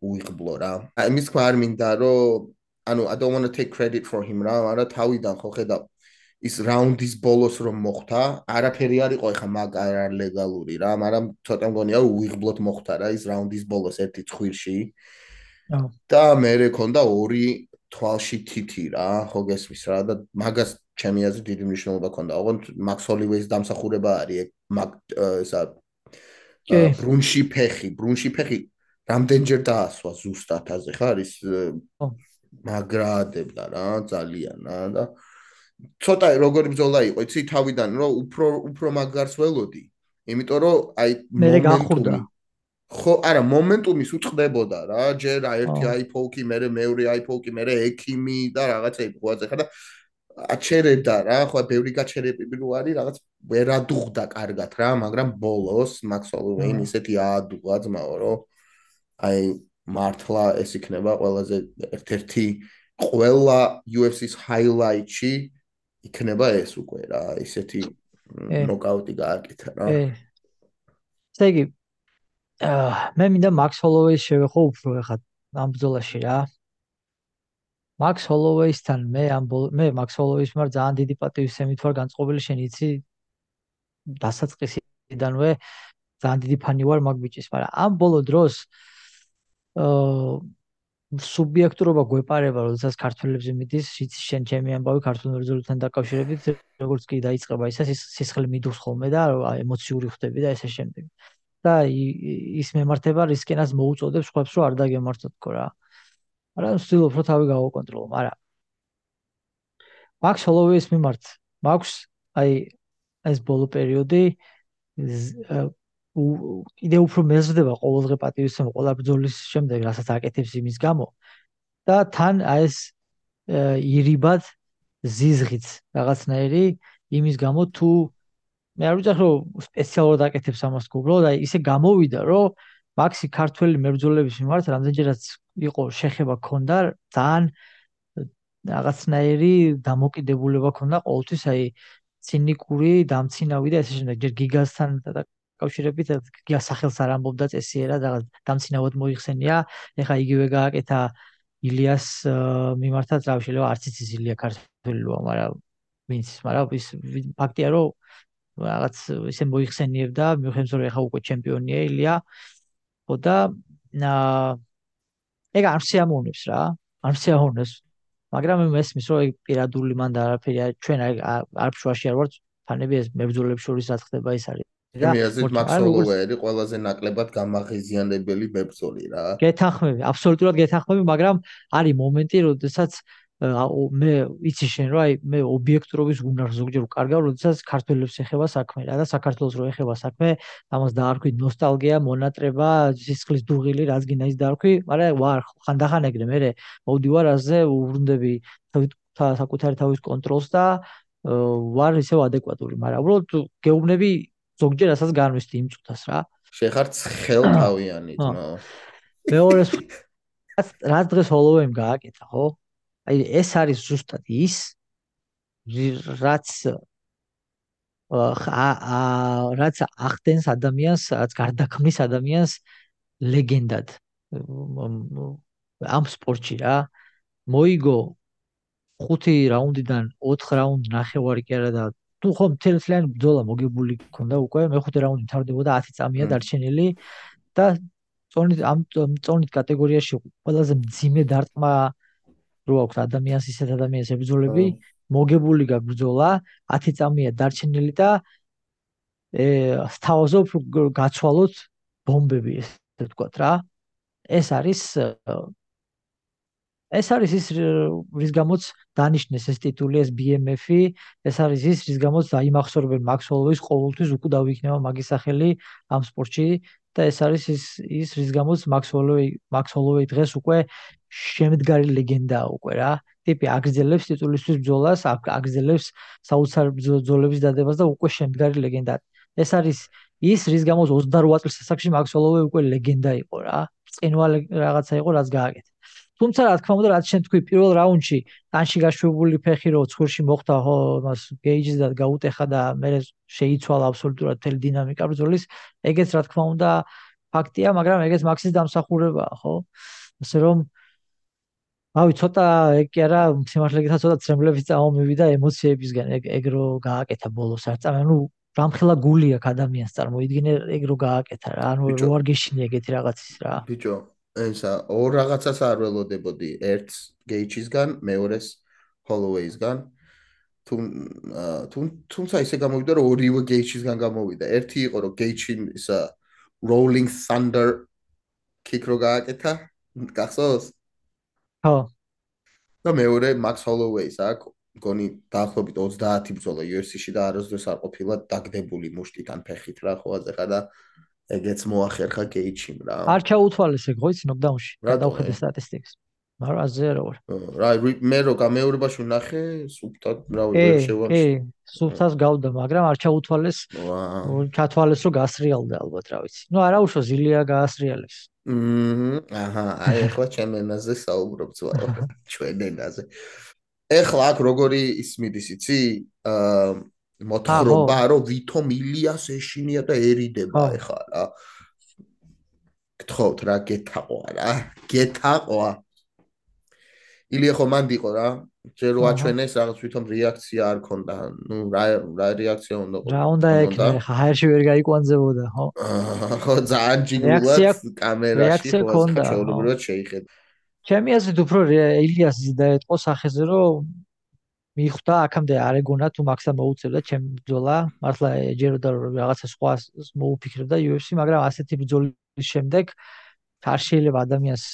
უიღბლო რა აი მის თქმა არ მინდა რომ ანუ I don't want to take credit for him რა მაგრამ თავიდან ხო ხედავ ის რაუნდის ბოლოს რომ მოხდა, არაფერი არ იყო ეხა მაგ არ ლეგალური რა, მაგრამ ცოტა მგონია უიღბლოდ მოხდა რა ის რაუნდის ბოლოს ერთი ცხვირში. და მე მქონდა ორი თვალში თითი რა, ხო გესმის რა და მაგას ჩემი აზრით დიდი მნიშვნელობა ქონდა. ოღონდ მაქს ჰოლივეის დამსახურება არის მაგ ესა ბრუნში ფეხი, ბრუნში ფეხი რამდენჯერ დაასვა ზუსტად აზე ხარ ის მაგრადებდა რა, ძალიან რა და ცოტა როგორი ბრძოლა იყო, იცი თავიდან რომ უფრო უფრო მაგარს ველოდი, იმიტომ რომ აი მომენტუმი ხო, არა, მომენტუმის უწყდებოდა რა, ჯერ ერთი აიფოუკი, მერე მეორე აიფოუკი, მერე ექიმი და რაღაცები ყوازე ხა და აჩერებდა რა, ხო, ბევრი გაჩერებები რო არის, რაღაც ვერ ადუღდა კარგად რა, მაგრამ ბოლოს მაქს ჰოლოვეიმ ისეთი აადუღა ძმაო, რომ აი მართლა ეს იქნება ყველაზე ერთ-ერთი ყველა იუ ეფ სის ჰაილაიტში იქნება ეს უკვე რა, ისეთი ნოკაუტი გააკეთა რა. ესე იგი, მე მინდა მაქს ჰოლოვეის შევეხო უფრო ახლა ამ ბრძოლაში რა. მაქს ჰოლოვეისთან მე ამ მე მაქს ჰოლოვეის მიმართ ძალიან დიდი პატივისცემით ვარ განწყობილი, შენ იცი დასაწყისიდანვე ძალიან დიდი ფანი ვარ მაგ ბიჭის, მაგრამ ამ ბოლო დროს აა სუბიექტურობა გვეპარება, როდესაც ქართველებზე მიდის, იცი შენ ჩემი ამბავი ქართულ მებრძოლთან დაკავშირებით, როგორც კი დაიწყება ისა სისხლი მიდუხს ხოლმე და ემოციური ხდები და ესე შემდეგ. და ის მემართება რისკენას მოუწოდებს სხვებს რომ არ დაგემართოთ თქო რა. მაგრამ ვცდილობ რომ თავი გავაკონტროლო, მაგრამ მაქს ჰოლოვეის მიმართ მაქვს აი ეს ბოლო პერიოდი კიდე უფრო მეზრდება ყოველდღე პატივისცემა ყველა ბრძოლის შემდეგ, რასაც აკეთებს იმის გამო და თან აი ეს ირიბად ზიზღიც რაღაცნაირი იმის გამო თუ მე არ ვიცი რომ სპეციალურად აკეთებს ამას გუგლო და ისე გამოვიდა რომ მაქსი ქართველი მებრძოლების მიმართ რამდენჯერაც იყო შეხება ქონდა ძალიან რაღაცნაირი დამოკიდებულება ქონდა ყოველთვის აი ცინიკური დამცინავი და ესე შემდეგ ჯერ გიგასთან დაკავშირებით გიგას სახელს არ ამბობდა წესიერა რაღაც დამცინავად მოიხსენია ეხა იგივე გააკეთა ილიას მიმართაც რა შეიძლება არც იცის ილია ქართველია მაგრამ ვინც მაგრამ ის ფაქტია რომ რაღაც ისე მოიხსენიებდა მიუხედავად რომ ეხა უკვე ჩემპიონია ილია ხო და ეგ არ შეამოვნებს რა არ შეამოვნებს მაგრამ მე მესმის რომ ეგ პირადული მან და არაფერი ჩვენ არ ფშვაში არ ვარ ფანები ეს მებრძოლებს შორის რა ხდება ის არის და მე აზრით მაქს ჰოლოვეი ყველაზე ნაკლებად გამაღიზიანებელი მებრძოლი რა გეთანხმები აბსოლუტურად გეთანხმები მაგრამ არის მომენტი როდესაც მე იცი შენ რა აი მე ობიექტურობის უნარს ზოგჯერ ვკარგავ როდესაც ქართველებს ეხება საქმე რა და საქართველოს რო ეხება საქმე ამას დაარქვი ნოსტალგია მონატრება სისხლის დუღილი რაც გინდა ის დაარქვი მაგრამ ვარ ხანდახან ეგრე მე მოვდივარ ასე უბრუნდები საკუთარი თავის კონტროლს და ვარ ისევ ადეკვატური მაგრამ უბრალოდ გეუბნები ზოგჯერ ასაც განვისთი იმ წუთას რა შეხარ ცხელთავიანით ნო მეორეს რაც დღეს ჰოლოვეიმ გააკეთა ხო აი ეს არის ზუსტად ის რაც რაც ახდენს ადამიანს რაც გარდაქმნის ადამიანს ლეგენდად ამ სპორტში რა მოიგო ხუთი რაუნდიდან ოთხ რაუნდ ნახევარი კი არა და თუ ხომ მთლიანი ბრძოლა მოგებული ქონდა უკვე მეხუთე რაუნდი თავდებოდა ათი წამია დარჩენილი და წონით ამ წონით კატეგორიაში ყველაზე მძიმე დარტყმა რო აქვს ადამიანს ისეთ ადამიანს ებრძოლები მოგებული გაბრძოლა ათი წამია დარჩენილი და სთავაზობ გაცვალოთ ბომბები ესე ვთქვათ რა ეს არის ეს არის ის რის გამოც დანიშნეს ეს ტიტული ეს ბი ემ ეფ-ი ეს არის ის რის გამოც დაიმახსოვრებენ მაქს ჰოლოვეის ყოველთვის უკუდავ იქნება მაგის სახელი ამ სპორტში და ეს არის ის ის რის გამოც მაქს ჰოლოვეი მაქს ჰოლოვეი დღეს უკვე შემდგარი ლეგენდაა უკვე რა ტიპი აგრძელებს ტიტულისთვის ბრძოლას აგრძელებს საოცარ ბრძოლების დადებას და უკვე შემდგარი ლეგენდაა ეს არის ის რის გამოც ოცდაროც წლის ასაკში მაქს ჰოლოვეი უკვე ლეგენდა იყო რა წინვალე რაღაცა იყო რაც გააკეთა თუმცა რა თქმა უნდა რაც შენ თქვი პირველ რაუნდში ტანში გაშვებული ფეხი რო ცხვირში მოხვდა ხო მას გეიჯს და გაუტეხა და მე შეიცვალა აბსოლუტურად მთელი დინამიკა ბრძოლის ეგეც რა თქმა უნდა ფაქტია მაგრამ ეგეც მაქსის დამსახურებაა ხო ასე რომ ავი ცოტა ეგ კი არა სიმართლე გითხრათ ცოტა ცრემლების წამომივიდა ემოციებისგან ეგ ეგ რო გააკეთა ბოლოს არ წამე ანუ რამხელა გული აქვს ადამიანს წარმოიდგინე ეგ რო გააკეთა რა ანუ რო არ გეშინია ეგეთი რაღაცის რა ბიჭო ესა ორ რაღაცას არ ველოდებოდი ერთს გეიჩისგან მეორეს ჰოლოვეისგან თუ თუმცა ისე გამოვიდა რომ ორივე გეიჩისგან გამოვიდა ერთი იყო რომ გეიჩი ისა rolling thunder kick რო გააკეთა გახსოვს ხო და მეორე მაქს ჰოლოვეის აქ მგონი დაახლოებით ოცდაათი ბრძოლა იუ ეფ სი-ში და არასდროს არ ყოფილა დაგდებული მუშტიდან ფეხით რა ხო აზეხა და ეგეც მოახერხა გეიჩიმ რა. არ ჩაუთვალეს ეგ ხო იცი ნოკდაუნში. გადავხედე სტატისტიკას. მაგრამ ასე რა ვარ. რა მე რო გამეორებაში ვნახე სუფთად რა ვერ შევახშე. კი, სუფთას გავდა, მაგრამ არ ჩაუთვალეს. ჩათვალეს რომ გასრიალდა ალბათ რა ვიცი. ნუ არა უშო ზილია გაასრიალეს. მმ აჰა, აი ახლა ჩემ ენაზე საუბრობ ძვალ ჩვენ ენაზე. ეხლა აქ როგორი ისმიდის იცი? აა მოთხრობა რომ ვითომ ილიას ეშინია და ერიდება ეხლა რა. გთხოვთ რა გეთაყვა რა. გეთაყვა. ილია ხო მანდიყო რა. ჯერ რო აჩვენეს რაღაც ვითომ რეაქცია არ ქონდა. ნუ რა რა რეაქცია უნდა ყო. რა უნდა ეკნე ხა ჰაერში ვერ გაიკვანძებოდა ხო? ხო ძალიან ჯიგულად კამერაში ხო ჩაოლობრივად შეიხედა. ჩემი აზრით უფრო ილიასი დაეთყო სახეზე რომ მიხვდა აქამდე არ ეგონა თუ მაქსა მოუწევდა ჩემ ბრძოლა მართლა ეჯეროდა რომ რაღაცა სხვა მოუფიქრებდა იუ ეფ სი მაგრამ ასეთი ბრძოლის შემდეგ არ შეიძლება ადამიანს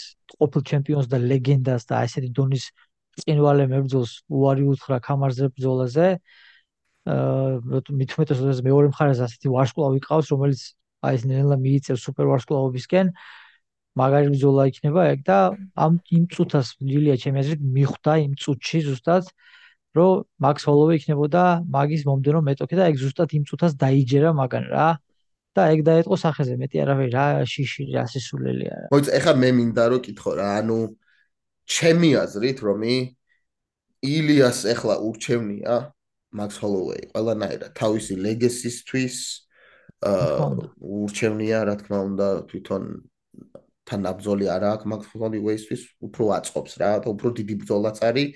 ყოფილ ჩემპიონს და ლეგენდას და ასეთი დონის წინვალე მებრძოლს უარი უთხრა კამარზე ბრძოლაზე აა მithumetes როდესაც მეორე მხარეს ასეთი ვარსკვლავი ყავს რომელიც აი ეს ნელა მიიწევს სუპერ ვარსკვლავობისკენ მაგარი ბრძოლა იქნება ეგ და ამ იმ წუთას ილია ჩემი აზრით მიხვდა იმ წუთში ზუსტად რომ მაქს ჰოლოვეი იქნებოდა მაგის მომდევნო მეტოქი და ეგ ზუსტად იმ წუთას დაიჯერა მაგან რა და ეგ დაეთყო სახეზე მეტი არავე რა შიში რა სისულელი არა. მოიცა ეხლა მე მინდა რომ კითხო რა ანუ ჩემი აზრით რომი ილიას ეხლა ურჩევნია მაქს ჰოლოვეი ყველანაირად თავისი ლეგესისთვის ურჩევნია რა თქმა უნდა თვითონ თან აბზოლი არა აქვს მაქს ჰოლოვეისთვის უფრო აწყობს რა და უფრო დიდი ბრძოლაც არის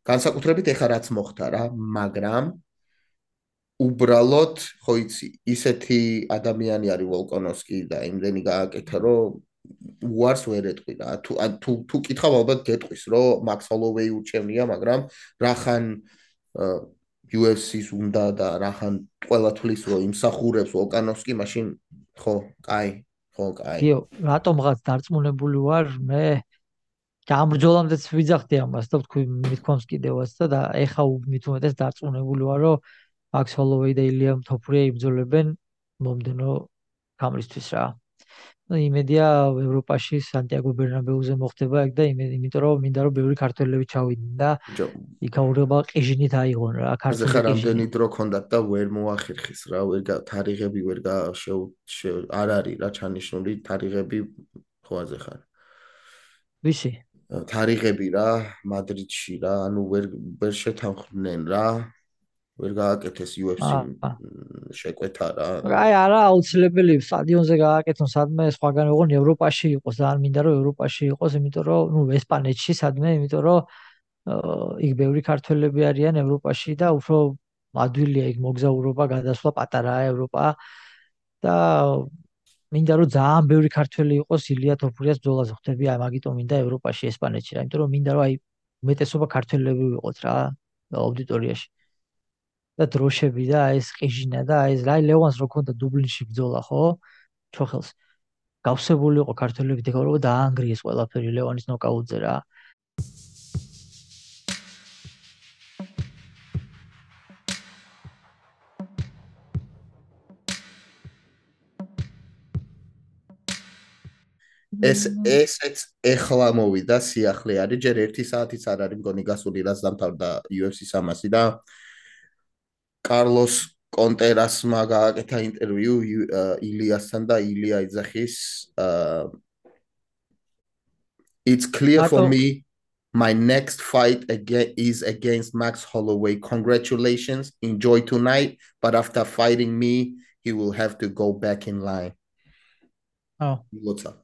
განსაკუთრებით ეხლა რაც მოხდა რა მაგრამ უბრალოდ ხო იცი ისეთი ადამიანი არის ვოლკონოვსკი და იმდენი გააკეთა რომ უარს ვერ ეტყვი რა თუ თუ თუ კითხავ ალბათ გეტყვის რომ მაქს ჰოლოვეი ურჩევნია მაგრამ რახან იუ ეფ სი-ს უნდა და რახან ყველა თვლის რომ იმსახურებს ვოლკონოვსკი მაშინ ხო კაი ხო კაი იო რატომღაც დარწმუნებული ვარ მე ამ ბრძოლამდეც ვიძახდი ამას და ვთქვი მithქვამს კიდევაც და ეხა მით უმეტეს დარწმუნებული ვარ რომ მაქს ჰოლოვეი და ილია თოფურია იბრძოლებენ მომდენო გამრისთვის რა. იმედია ევროპაში სანტიაგო ბერნაბეუზე მოხდება ეგ და იმიტომ რომ მინდა რომ ბევრი ქართველები ჩავიდნენ და იქაურება ყიჟინით აიღონ რა ქართული ყიჟინი. რამდენი დრო ქონდათ და ვერ მოახერხეს რა ვერ თარიღები ვერ არ არის რა ჩანიშნული თარიღები ხო აზე ხარ. ვისი? თარიღები რა მადრიდში რა ანუ ვერ ვერ შეთანხმდნენ რა ვერ გააკეთეს იუ ეფ სი შეკვეთა რა. აი არა აუცილებელი სტადიონზე გააკეთონ სადმე სხვაგან ოღონ ევროპაში იყოს ძალიან მინდა რომ ევროპაში იყოს იმიტომ რომ ნუ ესპანეთში სადმე იმიტომ რომ იქ ბევრი ქართველები არიან ევროპაში და უფრო ადვილია იქ მოგზაურობა გადასვლა პატარაა ევროპა და მინდა რომ ძალიან ბევრი ქართველი იყოს ილია თოფურიას ბრძოლაზე ხვდები აი მაგიტომ მინდა ევროპაში ესპანეთში რა იმიტომ რომ მინდა რომ აი უმეტესობა ქართველები ვიყოთ რა აუდიტორიაში და დროშები და ეს ყიჟინა და ეს რაი ლევანს რო ქონდა დუბლინში ბრძოლა ხო ჩოხელს გავსებული იყო ქართველები დეკორობა დაანგრიეს ყველაფერი ლევანის ნოკაუტზე რა ეს ესეც ეხლა მოვიდა სიახლე არის ჯერ ერთი საათიც არ არის მგონი გასული რაც დამთავრდა იუ ეფ სი სამასი და კარლოს კონტერასმა გააკეთა ინტერვიუ ილიასთან და ილია იძახის It's clear for me my next fight again is against Max Holloway. Congratulations. Enjoy tonight. But after fighting me, he will have to go back in line. Oh. What's up?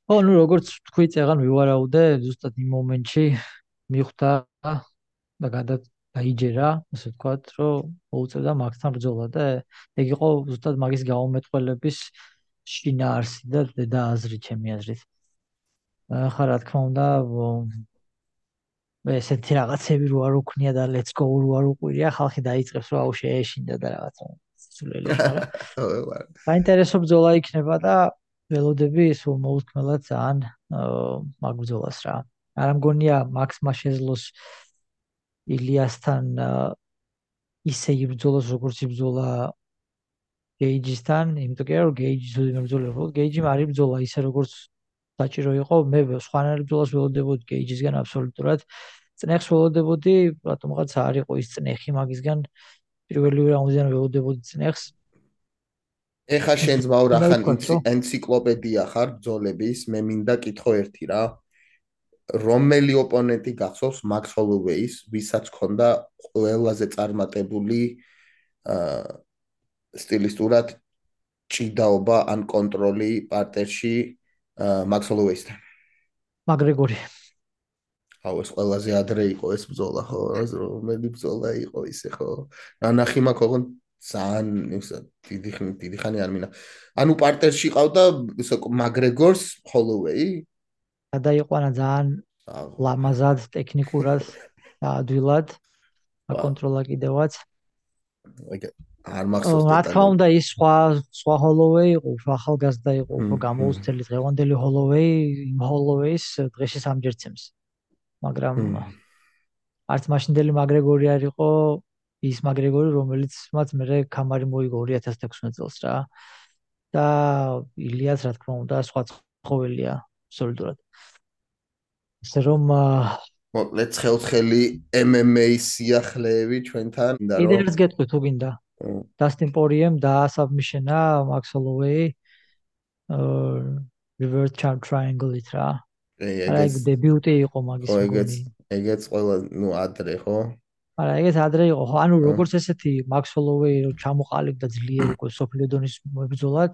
Oh, no, როგორც თქვი წეგან ვივარაუდე, ზუსტად იმ მომენტში მიხვდა და გადა დაიჯერა, ასე ვთქვათ, რომ მოუწევდა მაგთან ბრძოლა და ეგ იყო ზუსტად მაგის გაუმეტყველების შინაარსი და და აზრი ჩემი აზრით. ახლა რა თქმა უნდა, მე ესეთი რაღაცები რო არ უქნია და let's go რო არ უყვირია, ხალხი დაიწყებს რომ აუ შეეშინდა და რაღაცა სულელი, მაგრამ საინტერესო ბრძოლა იქნება და ველოდები სულ მოუთქმელად ძალიან მაგ ბრძოლას რა. არ მგონია მაქსმა შეძლოს ილიასთან ისე იბრძოლოს როგორც იბრძოლა გეიჯისთან, იმიტომ რომ გეიჯი ზუსტად ბრძოლა, გეიჯი არ იბრძოლა ისე როგორც საჭირო იყო, მე სხვანაირ ბრძოლას ველოდებოდი გეიჯისგან აბსოლუტურად. წნეხს ველოდებოდი, რატომღაც არ იყო ის წნეხი მაგისგან პირველი რაუნდიდან ველოდებოდი წნეხს. ეხა შენ ძმაო რახან ენციკლოპედია ხარ ბრძოლების, მე მინდა კითხო ერთი რა. რომელი ოპონენტი გახსოვს მაქს ჰოლოვეის, ვისაც ჰქონდა ყველაზე წარმატებული სტილისტურად ჭიდაობა ან კონტროლი პარტერში მაქს ჰოლოვეისთან? მაგრეგორი. აუ ეს ყველაზე ადრე იყო ეს ბრძოლა ხო? რომელი ბრძოლა იყო ისე ხო? ნანახი მაქვს ოღონ ძალიან ისა დიდი დიდი ხანი არ მინა. ანუ პარტერში ყავდა მაგრეგორს ჰოლოვეი? გადაიყვანა ძალიან ლამაზად, ტექნიკურად და ადვილად. აკონტროლა კიდევაც. არ მახსოვს რა თქმა უნდა ის სხვა სხვა ჰოლოვეი იყო, უფრო ახალგაზრდა იყო, უფრო გამოუცდელი დღევანდელი ჰოლოვეი, იმ ჰოლოვეის დღეში სამჯერცემს. მაგრამ არც მაშინდელი მაგრეგორი არ იყო ის მაგრეგორი, რომელიც მათ მე კამარი მოიგო ორი ათას თექვსმეტ წელს რა. და ილიას რა თქმა უნდა სხვა შემთხვეველია აბსოლუტურად. ასე რომ მოკლედ ცხელ-ცხელი M M A სიახლეები ჩვენთან და რომ კიდევ ერთ გეტყვი თუ გინდა. Dustin Poirier-მ დაასაბმიშენა Max Holloway reverse champ triangle-ით რა. არა ეგ დებიუტი იყო მაგის მგონი. ეგეც ყველა ნუ ადრე ხო? არა ეგეც ადრე იყო ხო? ანუ როგორც ესეთი Max Holloway რო ჩამოყალიბდა ძლიერ უკვე სოფლიო დონის მებრძოლად,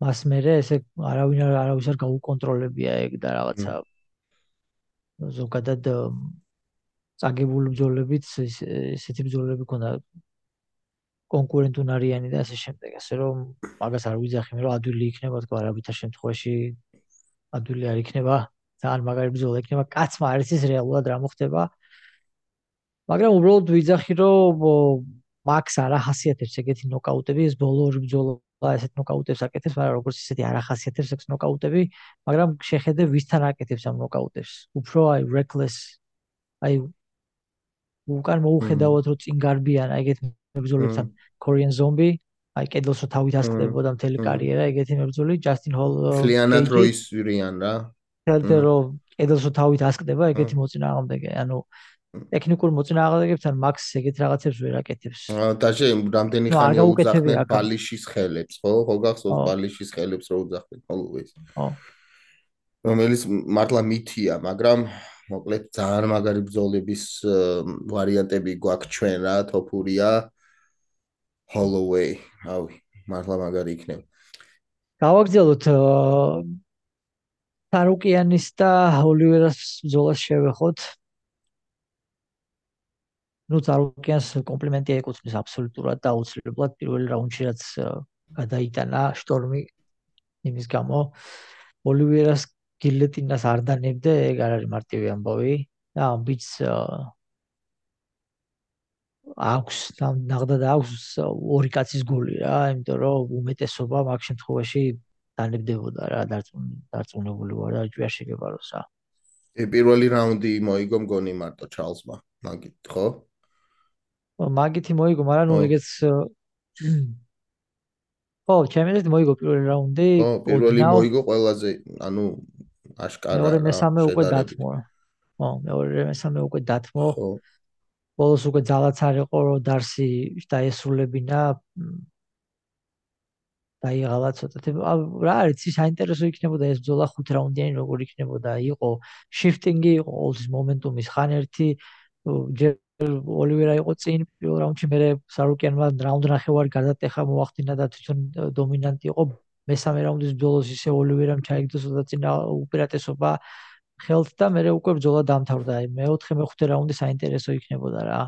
მას მერე ესე არავინ არავის არ გაუკონტროლებია ეგ და რაღაცა ზოგადად წაგებული ბრძოლებიც ესეთი ბრძოლები ქონდა კონკურენტუნარიანი და ასე შემდეგ. ასე რომ მაგას არ ვიძახი მე რომ ადვილი იქნება თქო არაბითარ შემთხვევაში ადვილი არ იქნება. ძალიან მაგარი ბრძოლა იქნება. კაცმა არ იცის რეალურად რა მოხდება. მაგრამ უბრალოდ ვიძახი რომ მაქს არ ახასიათებს ეგეთი ნოკაუტები, ეს ბოლო ორი ბრძოლა ესეთ ნოკაუტებს აკეთებს, მაგრამ როგორც ისეთი არ ახასიათებს ეს ნოკაუტები, მაგრამ შეხედე ვისთან აკეთებს ამ ნოკაუტებს. უფრო აი reckless აი უკან მოუხედავად რომ წინ გარბიან ეგეთ მებრძოლებთან Korean Zombie, აი კედელს რო თავით ასკდებოდა მთელი კარიერა ეგეთი მებრძოლი Justin Hall ფლიანად რო ისვირიან რა. თელდე რომ კედელს რო თავით ასკდება ეგეთი მოწინააღმდეგე, ანუ ტექნიკურ მოწინააღმდეგებთან Max ეგეთ რაღაცებს ვერ აკეთებს. დაჟე რამდენი ხანია უძახდნენ ბალიშის ხელებს, ხო? ხო გახსოვს ბალიშის ხელებს რო უძახდნენ Holloway-ს. ხო. რომელიც მართლა მითია, მაგრამ მოკლედ ძალიან მაგარი ბრძოლების ვარიანტები გვაქვს ჩვენ რა, თოფურია Holloway, ავი, მართლა მაგარი იქნება. გავაგრძელოთ Tsarukyanis და Oliveira-ს ბრძოლას შევეხოთ. ნუ Tsarukyanis კომპლიმენტი ეკუთვნის აბსოლუტურად და აუცილებლად პირველი რაუნდში რაც გადაიტანა შტორმი იმის გამო Oliveira-ს გილეტინას არ დანებდა, ეგ არ არის მარტივი ამბავი და ამ ბიჭს აქვს ნაღდად აქვს ორი კაცის გული რა, იმიტომ რომ უმეტესობა მაგ შემთხვევაში დანებდებოდა რა, დარწმუნებული ვარ და ჯერ შეგებაროს რა. პირველი რაუნდი მოიგო მგონი მარტო ჩარლზმა, მაგით ხო? მაგითი მოიგო, მაგრამ ნუ ეგეც ხო, ჩემი აზრით მოიგო პირველი რაუნდი. ხო, პირველი მოიგო ყველაზე, ანუ აშკარა რა. მეორე მესამე უკვე დათმო. ხო, მეორე მესამე უკვე დათმო. ხო. ბოლოს უკვე ძალაც არ იყო რომ დარსი დაესრულებინა. დაიღალა ცოტათი. რა არის, ის საინტერესო იქნებოდა ეს ბრძოლა ხუთ რაუნდიანი როგორ იქნებოდა. იყო shifting-ი, იყო ყოველთვის მომენტუმის ხან ერთი ჯერ Oliveira იყო წინ პირველ რაუნდში, მერე Tsarukyan-მა რაუნდ ნახევარი გადატეხა მოახდინა და თვითონ დომინანტი იყო. მესამე რაუნდის ბრძოლას ისე Oliveira-მ ჩაიგდო ცოტა წინ უპირატესობა ხელთ და მერე უკვე ბრძოლა დამთავრდა. აი მეოთხე მეხუთე რაუნდი საინტერესო იქნებოდა რა.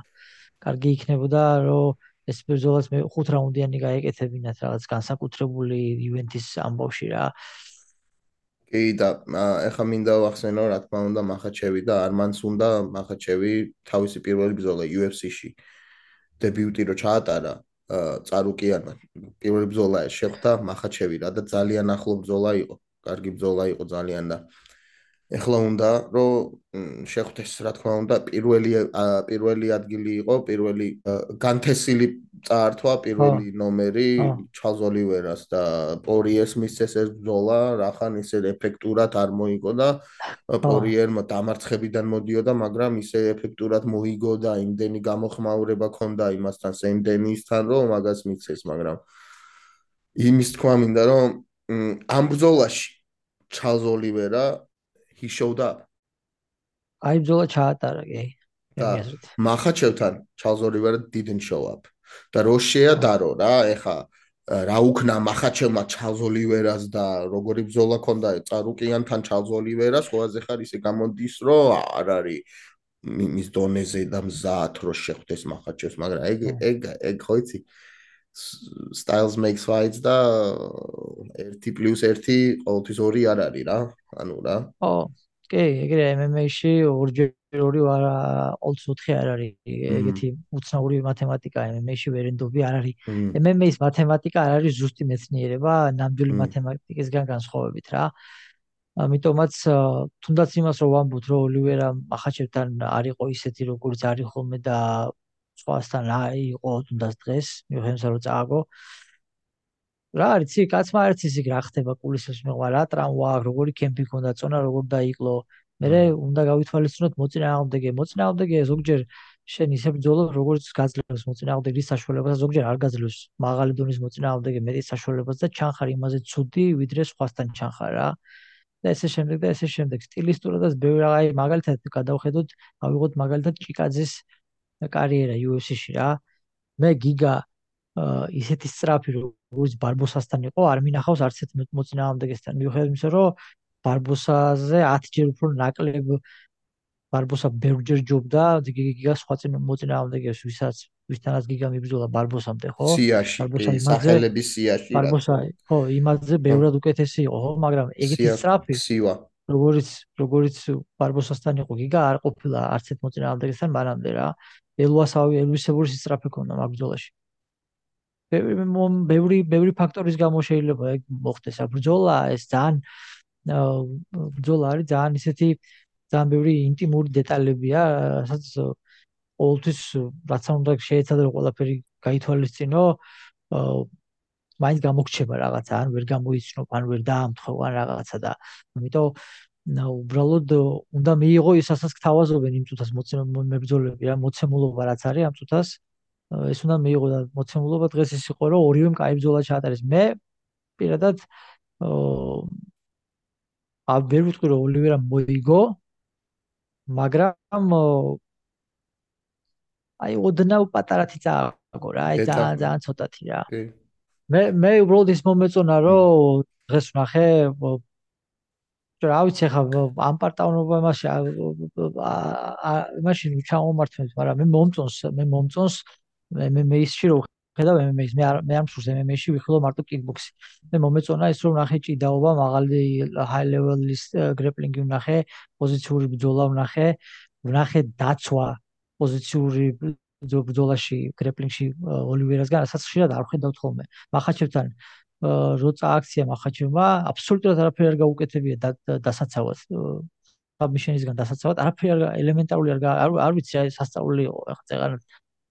კარგი იქნებოდა რომ ეს ბრძოლას მე ხუთ რაუნდიანი გაეკეთებინათ რაღაც განსაკუთრებული ივენთის ამბავში რა. კი და ეხა მინდა ვახსენო რა თქმა უნდა მახაჩევი და არმანს უნდა მახაჩევი თავისი პირველი ბრძოლა U F C-ში დებიუტი რო ჩაატარა Tsarukyan-მა პირველი ბრძოლა შეხვდა მახაჩევი რა და ძალიან ახლო ბრძოლა იყო, კარგი ბრძოლა იყო ძალიან და ეხლა უნდა რომ შეხვდეს რა თქმა უნდა პირველი პირველი ადგილი იყო, პირველი განთესილი წაართვა პირველი ნომერი Charles Oliveira-ს და Poirier-ს მისცეს ეს ბრძოლა, რახან ისე ეფექტურად არ მოიგო და Poirier-მა დამარცხებიდან მოდიოდა, მაგრამ ისე ეფექტურად მოიგო და იმდენი გამოხმაურება ქონდა იმასთან Sam Denis-თან, რომ მაგას მისცეს, მაგრამ იმის თქვა მინდა რომ ამ ბრძოლაში Charles Oliveira he showed up. აი ბრძოლა ჩაატარა კი. მახაჩევთან Charles Oliveira didn't show up. და რო შეადარო რა, ეხა რა უქნა მახაჩევმა Charles Oliveira-ს და როგორი ბრძოლა ქონდა Tsarukyan-თან Charles Oliveira-ს, ყველაზე ხარ ისე გამოდის, რომ არ არის მის დონეზე და მზად რო შეხვდეს მახაჩევს, მაგრამ ეგ ეგ ეგ ხო იცი styles makes fights და ერთი პლუს ერთი ყოველთვის ორი არ არის რა, ანუ რა. ხო, კი, ეგრე M M A-ში ორჯერ ორი ყოველთვის ოთხი არ არის, ეგეთი უცნაური მათემატიკა M M A-ში ვერენდობი არ არის. M M A-ის მათემატიკა არ არის ზუსტი მეცნიერება, ნამდვილი მათემატიკისგან განსხვავებით რა. ამიტომაც თუნდაც იმას რომ ვამბობთ, რომ Oliveira მახაჩევთან არ იყო ისეთი როგორც არის ხოლმე და სხვასთან იყო თუნდაც დღეს, მიუხედავად რომ წააგო. რა არის იცი კაცმა არც ისე რა ხდება კულისებს მეღვა რა ტრამვა როგორი კემპი ქონდა წონა როგორ დაიკლო მე უნდა გავითვალისწინოთ მოწინააღმდეგე მოწინააღმდეგე ზოგჯერ შენ ისე ბრძოლობ როგორც გაძლევს მოწინააღმდეგის საშუალებას ზოგჯერ არ გაძლევს მაღალი დონის მოწინააღმდეგე მეტი საშუალებას და ჩანხარ იმაზე ცუდი ვიდრე სხვასთან ჩანხარ რა და ესე შემდეგ და ესე შემდეგ სტილისტურადაც ბევრი რა აი მაგალითად გადავხედოთ ავიღოთ მაგალითად ჭიკაძის კარიერა იუ ეფ სი-ში რა მე გიგა ისეთი სწრაფი როგორც ბარბოსასთან იყო არ მინახავს არც ერთ მოწინააღმდეგესთან მიუხედავად იმისა რომ ბარბოსაზე ათჯერ უფრო ნაკლებ ბარბოსა ბევრჯერ ჯობდა გიგა სხვა მოწინააღმდეგეს ვისაც ვისთანაც გიგა მიბრძოლა ბარბოსამდე ხო ბარბოსა სახელების სიაში ბარბოსა ხო იმაზე ბევრად უკეთესი იყო ხო მაგრამ ეგეთი სწრაფი როგორც როგორც ბარბოსასთან იყო გიგა არ ყოფილა არც ერთ მოწინააღმდეგესთან მანამდე რა ელვასავი ელვისებური სწრაფი ქონდა მაგ ბრძოლაში ბევრი ბევრი ბევრი ფაქტორის გამო შეიძლება ეგ მოხდეს ბრძოლა ეს ძალიან ბრძოლა არის ძალიან ისეთი ძალიან ბევრი ინტიმური დეტალებია რასაც ყოველთვის რაც არ უნდა შეეცადო ყველაფერი გაითვალისწინო მაინც გამოგრჩება რაღაცა ან ვერ გამოიცნობ ან ვერ დაამთხო ან რაღაცა და ამიტომ უბრალოდ უნდა მიიღო ისაც გთავაზობენ იმ წუთას მებრძოლები რა მოცემულობა რაც არის ამ წუთას ეს უნდა მიიღო და მოცემულობა დღეს ის იყო რომ ორივე მკაი ბრძოლა ჩაატარეს მე პირადად აა ვერ ვიტყვი რომ ოლივერა მოიგო მაგრამ აი ოდნავ პატარათი წააგო რა აი ძალიან ძალიან ცოტათი რა მე მე უბრალოდ ის მომეწონა რომ დღეს ვნახე რა ვიცი ხა ამ პარტავნობა მასე მაშინ ჩამომართმევთ მაგრამ მე მომწონს მე მომწონს მე მე ისში რომ ხედავ ემ ემ ეის მე არ მე არ მსურს ემ ემ ეისში ვიხილო მარტო კიკბოქსი მე მომეწონა ის რომ ვნახე ჭიდაობა მაღალი ჰაი ლეველის გრეპლინგი ვნახე პოზიციური ბრძოლა ვნახე ვნახე დაცვა პოზიციური ბრძოლაში გრეპლინგში ოლივერასგან რასაც ხშირად არ ხედავთ ხოლმე მახაჩევთან როცა აქცია მახაჩევმა აბსოლუტურად არაფერი არ გაუკეთებია დასაცავად საბმიშენისგან დასაცავად არაფერი ელემენტარული არ არ ვიცი აი სასწაული იყო ახლა წეღან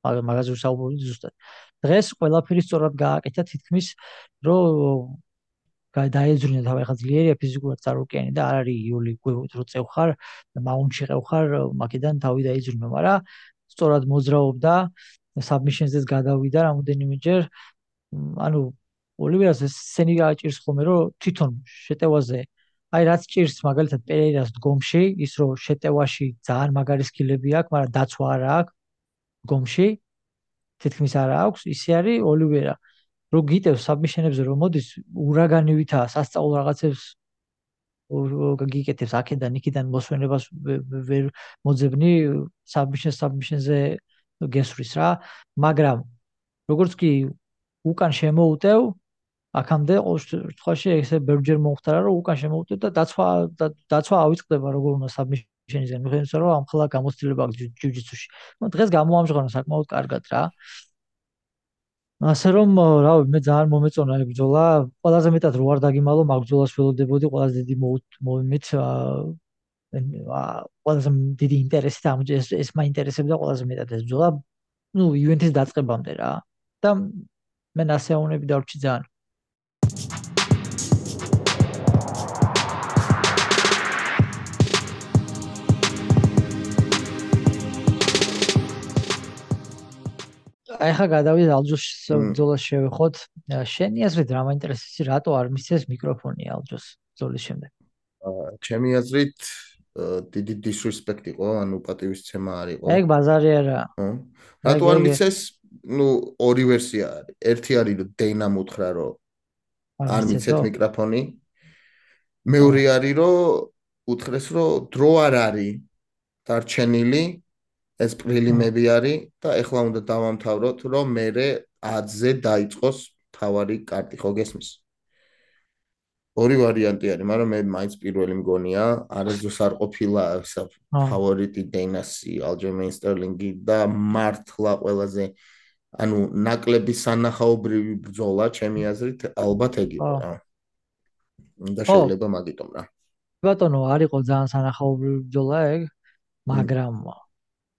მაგაზე ვსაუბრობდი ზუსტად დღეს ყველაფერი სწორად გააკეთა თითქმის რომ დაეძრინა თავი ახლა ძლიერია ფიზიკურად წარუკიანი და არ არის იული რო წევხარ მაუნტში ყევხარ მაგიდან თავი დაეძრინა მაგრამ სწორად მოძრაობდა საბმიშენზეც გადავიდა რამოდენიმეჯერ ანუ ოლივერას ეს სცენი გააჭირს ხოლმე რომ თვითონ შეტევაზე აი რაც ჭირს მაგალითად პერეირას დგომში ის რომ შეტევაში ძალიან მაგარი სკილები აქვს მაგრამ დაცვა არ აქვს დგომში თითქმის არ აქვს ისე არის ოლივერა რო გიტევს საბმიშენებზე რომ მოდის ურაგანივითაა სასწაულ რაღაცებს გიგეთებს აქედან იქიდან მოსვენებას ვერ მოძებნი საბმიშენს საბმიშენზე გესვრის რა მაგრამ როგორც კი უკან შემოუტევ აქამდე ყოველ შემთხვევაში ესე ბევრჯერ მომხდარა რომ უკან შემოუტევ და დაცვა დაცვა ავიწყდება როგორ უნდა საბმიშენისგან მიხედავთ რომ ამხელა გამოცდილება აქვს ჯიუჯიტსუში ნუ დღეს გამოამჟღავნა საკმაოდ კარგად რა ასე რომ რა მე ძალიან მომეწონა ეს ბრძოლა ყველაზე მეტად რო არ დაგიმალო მაგ ბრძოლას ველოდებოდი ყველაზე დიდი მომენტ ყველაზე დიდი ინტერესი და ეს ეს მაინტერესებდა ყველაზე მეტად ეს ბრძოლა ნუ ივენთის დაწყებამდე რა და მე ნასეონები დავრჩი ძალიან აი ხა გადავიდეთ ალჯოს ბრძოლას შევეხოთ. შენი აზრით რა მაინტერესებს, რატო არ მისცეს მიკროფონი ალჯოს ბრძოლის შემდეგ? ჩემი აზრით დიდი disrespect იყო, ანუ პატივისცემა არ იყო. ეგ ბაზარი არა. რატო არ მისცეს? ნუ ორი ვერსია არის. ერთი არის რომ დეინამ უთხრა რომ არ მისცეთ მიკროფონი. მეორე არის რომ უთხრეს რომ დრო არ არის დარჩენილი. ეს პრილიმები არის და ეხლა უნდა დავამთავროთ, რომ მერე ათზე დაიწყოს თავარი კარტი, ხო გესმის? ორი ვარიანტი არის, მაგრამ მე მაინც პირველი მგონია, არასდროს არ ყოფილა ფავორიტი დეინასი, ალჯერმეინ სტერლინგი და მართლა ყველაზე ანუ ნაკლები სანახაობრივი ბრძოლა, ჩემი აზრით, ალბათ ეგ იყო რა. და შეიძლება მაგიტომ რა. ბატონო, არ იყო ძალიან სანახაობრივი ბრძოლა ეგ, მაგრამ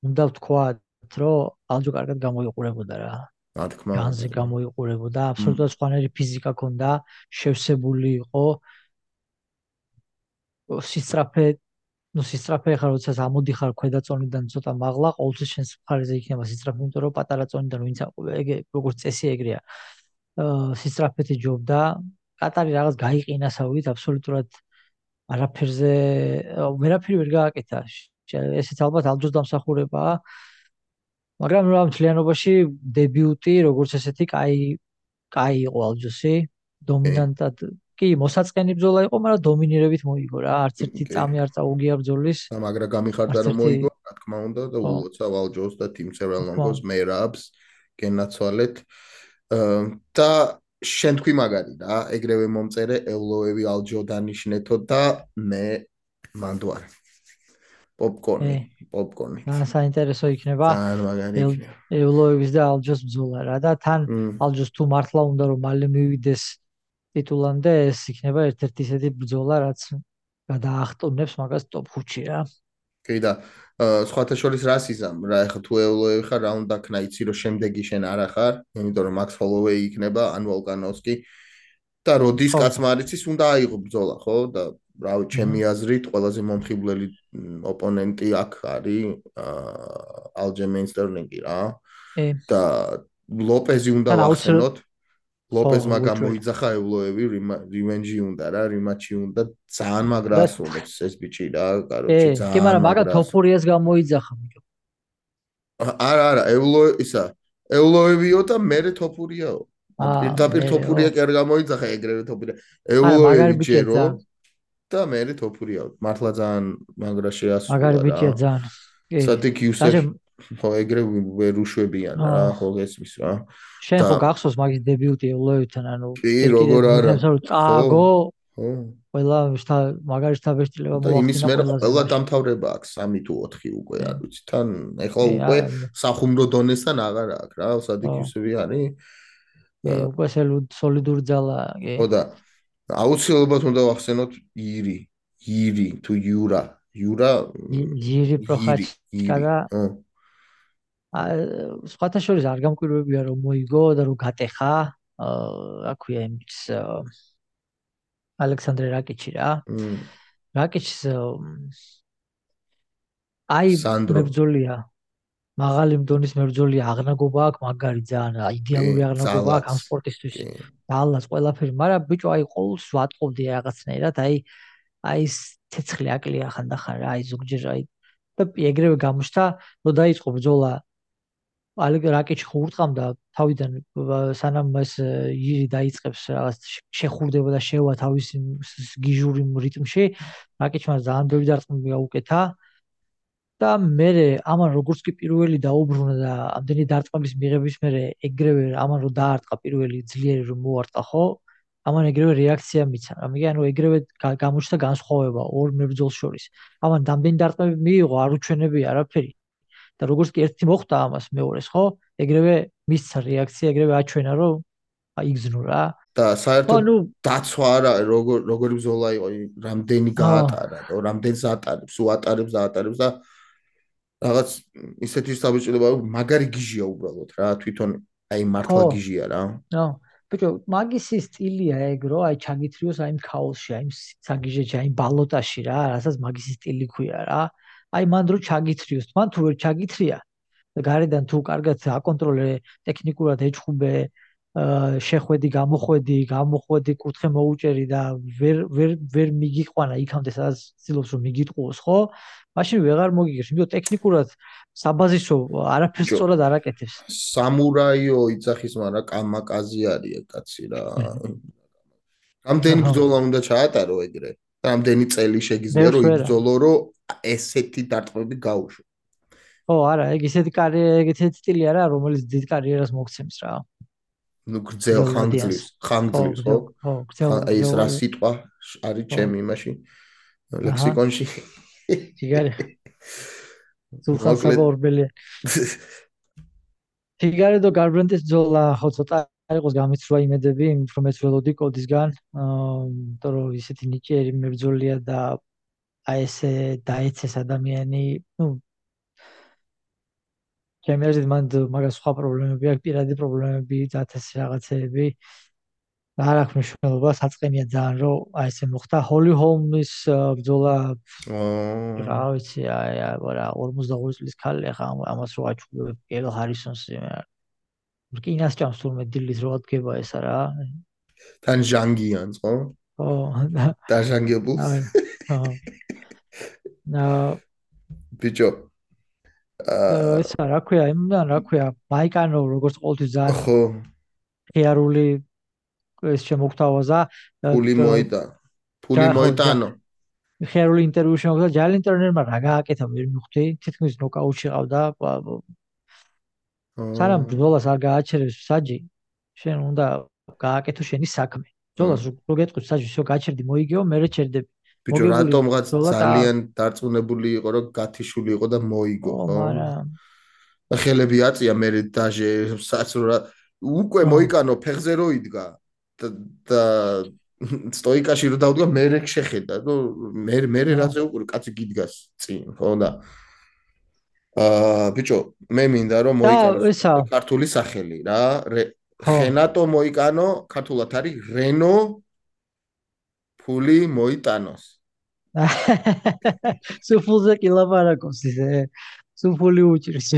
უნდა ვთქვათ, რომ ალჯო კარგად გამოიყურებოდა რა. რა თქმა განზე უნდა. გამოიყურებოდა, აბსოლუტურად სხვანაირი ფიზიკა ჰქონდა, შევსებული იყო. სისწრაფე, ну სისწრაფე ხარ, როდესაც ამოდიხარ ქვედა წონიდან ცოტა მაღლა, ყოველთვის შენს მხარეზე იქნება სისწრაფე, იმიტომ რომ პატარა წონიდან ვინც ეგ როგორც წესი ეგრეა. აა სისწრაფეთ იჯობდა, კატარი რაღაც გაიყინასავით, აბსოლუტურად არაფერზე ვერაფერი ვერ გააკეთა. ესეც ალბათ ალჯოს დამსახურებაა. მაგრამ რა მთლიანობაში დებიუტი როგორც ესეთი კაი კაი იყო ალჯოსი. დომინანტად კი მოსაწყენი ბრძოლა იყო, მაგრამ დომინირებით მოიგო რა. არც ერთი წამი არ წაუგია ბრძოლის. და მაგრა გამიხარდა რომ მოიგო, რა თქმა უნდა და ულოცავ ალჯოს და Team Seven Longos მერაბს გენაცვალეთ. და შენ თქვი მაგარი რა, ეგრევე მომწერე ელოევი ალჯო დანიშნეთო და მე მანდوار. პოპკორნი, პოპკორნი. რა საინტერესო იქნება. ძალიან მაგარი იქნება. ელოევის და ალჯოს ბრძოლა რა და თან ალჯოს თუ მართლა უნდა რომ მალე მივიდეს ტიტულამდე, ეს იქნება ერთ-ერთი ისეთი ბრძოლა, რაც გადაახტუნებს მაგას ტოპ ხუთში რა. კი და სხვათა შორის რას იზამ რა, ეხლა თუ ელოევი ხარ, რა უნდა ქნა, იცი რომ შემდეგი შენ არ ახარ, იმიტომ რომ Max Holloway იქნება, ან Volkanovski და როდის კაცმარიცის უნდა აიღო ბრძოლა, ხო? და რავი, ჩემი აზრით, ყველაზე მომხიბვლელი ოპონენტი აქ არის Aljamain Sterling-ი რა. და ლოპეზი უნდა ვახსენოთ. ლოპეზმა გამოიძახა ელოევი, რივენჯი უნდა რა, რიმატჩი უნდა, ძალიან მაგრა ასრულებს ეს ბიჭი რა, კაროჩე ძალიან. კი, მაგრამ მაგა თოფურიას გამოიძახა ბიჭო. არა, არა, ელო ისა, ელოევიო და მერე თოფურიაო. პირდაპირ თოფურია კი არ გამოიძახა, ეგრევე თოფურია. ელოევი ჯერო და მერე თოფურიაო. მართლა ძალიან მაგრა შეასრულა რა. მაგარი ბიჭია ძალიან. სადიქ იუსეფ ხო ეგრევე ვერ უშვებიან რა, ხო ესმის რა. შენ ხო გახსოვს მაგის დებიუტი ელოევთან, ანუ კი, როგორ არა. წააგო. ხო. ყველა მაგარი შთაბეჭდილება მოახდინა. და იმის მერე ყველა დამთავრება აქვს სამი თუ ოთხი უკვე, არ ვიცი, თან ეხლა უკვე სახუმრო დონესთან აღარ აქვს რა, სადიქ იუსეფი არის. კი, უკვე სოლიდური ძალაა, კი. ხო და აუცილებლად უნდა ვახსენოთ ირი, ირი თუ იურა, იურა, ირი პროხაჩკა და სხვათა შორის არ გამკვირვებია რომ მოიგო და რომ გატეხა, რა ქვია იმის ალექსანდრე რაკიჩი რა. რაკიჩს აი მებრძოლია. მაღალი მდონის მებრძოლია, აღნაგობა აქვს, მაგარი ძალიან იდეალური აღნაგობა აქვს ამ სპორტისთვის. ძალას ყველაფერი, მაგრამ ბიჭო აი ყოველს ვატყობდი რაღაცნაირად, აი აი ცეცხლი აკლია ხანდახან რა, აი ზოგჯერ აი და ეგრევე გამოჩნდა, რომ დაიწყო ბრძოლა ალეგ რაკიჩი ხურტყამდა თავიდან სანამ ეს ირი დაიწყებს რაღაც შეხურდება და შევა თავის გიჟური რიტმში, რაკიჩმა ძალიან ბევრი დარტყმა გაუკეთა და მე ამან როგორც კი პირველი დაუბრუნა და ამდენი დარტყმების მიღების მერე ეგრევე ამან რო დაარტყა პირველი ძლიერი რომ მოარტყა ხო, ამან ეგრევე რეაქცია მიცა. ამიტომ ანუ ეგრევე გამოჩნდა განსხვავება ორ მებრძოლს შორის. ამან ამდენი დარტყმები მიიღო, არ უჩვენებია არაფერი. და როგორც კი ერთი მოხდა ამას მეორეს, ხო? ეგრევე მისცა რეაქცია, ეგრევე აჩვენა, რომ აიგზნო რა. და საერთოდ დაცვა არა, როგორ როგორი ბრძოლა იყო, რამდენი გაატარა, რამდენს ატარებს, უატარებს, ატარებს და რაღაც ისეთი საბჭოება, მაგარი გიჟია უბრალოდ რა, თვითონ აი მართლა გიჟია რა. ნო, ბიჭო, მაგისი სტილია ეგ, რომ აი ჩაგითრიოს აი ქაოსში, აი საგიჟეში, აი ბალოტაში რა, რასაც მაგისი სტილი ქვია რა. აი მან რო ჩაგითრიოს, მან თუ ვერ ჩაგითრია და გარედან თუ კარგად აკონტროლე, ტექნიკურად ეჭხუბე, შეხვედი, გამოხვედი, გამოხვედი, კუთხე მოუჭერი და ვერ ვერ ვერ მიგიყვანა იქამდე, სადაც ცდილობს რომ მიგიტყუოს, ხო? მაშინ ვეღარ მოგიგებს, იმიტომ ტექნიკურად საბაზისო არაფერს სწორად არ აკეთებს. სამურაიო იძახის, მაგრამ კამაკაზი არის ეგ კაცი რა. რამდენი ბრძოლა უნდა ჩაატარო ეგრე? რამდენი წელი შეგიძლია რომ იბრძოლო, რომ ესეთი დარტყმები გაუშვა. ხო, არა, ეგ ისეთი კარიერა, ეგ ისეთი სტილი არა, რომელიც დიდ კარიერას მოგცემს რა. ნუ გრძელ ხანგრძლივს, ხანგრძლივს, ხო? ხო, გრძელ. აი ეს რა სიტყვა არის ჩემი იმაში ლექსიკონში? ჩიგარი. სულხან საბორბელი. ჩიგარი და გარბრენდის ბრძოლა ხო ცოტა იყოს გამიცრუა იმედები, რომ ეს ველოდი კოდისგან, იმიტომ რომ ისეთი ნიჭიერი მებრძოლია და აი ესე დაეცეს ადამიანი, ნუ ჩემი აზრით მან მაგას სხვა პრობლემები აქვს, პირადი პრობლემები, დათესი რაღაცეები. არ აქვს მნიშვნელობა, საწყენია ძალიან, რომ აი ესე მოხდა. ჰოლი ჰოლმის ბრძოლა რა ვიცი, აი არა ორმოცდაორი წლის ქალი ახლა ამას რო აჩუქებ კელ ჰარისონს რკინას ჭამს თურმე დილის რო ადგება ესა რა. თან ჟანგიანს ხო? ხო. დაჟანგებულს. ხო. და ბიჭო აა ესა რა ქვია, იმან რა ქვია, მაიკანო როგორც ყოველთვის ძალიან ხო. ხიარული ეს შემოგთავაზა. ფული მოიტა. ფული მოიტანო. ხიარული ინტერვიუ შემოგთავაზა ჯალენ ტერნერმა რა გააკეთა ვერ მივხვდი, თითქმის ნოკაუტში ყავდა. სანამ ბრძოლას არ გააჩერებს საჯი, შენ უნდა გააკეთო შენი საქმე. ბრძოლას რო გეტყვი საჯი, всё გაჩერდი, მოიგეო, მე ჩერდები. ბიჭო რატომღაც ძალიან დარწმუნებული იყო რომ გათიშული იყო და მოიგო ხო? და ხელები აწია მე დაჟე საცრა უკვე მოიკანო ფეხზე რო იდგა და სტოიკაში რო დავდგა მე შეხედა ნუ მე მე რაზე უკვე კაცი გიდგას წინ ხო და აა ბიჭო მე მინდა რომ მოიკანო ქართული სახელი რა ხენატო მოიკანო ქართულად არის რენო ფული მოიტანოს. სუფულზე კი ლაპარაკობს ისე. სუფული უჭირს.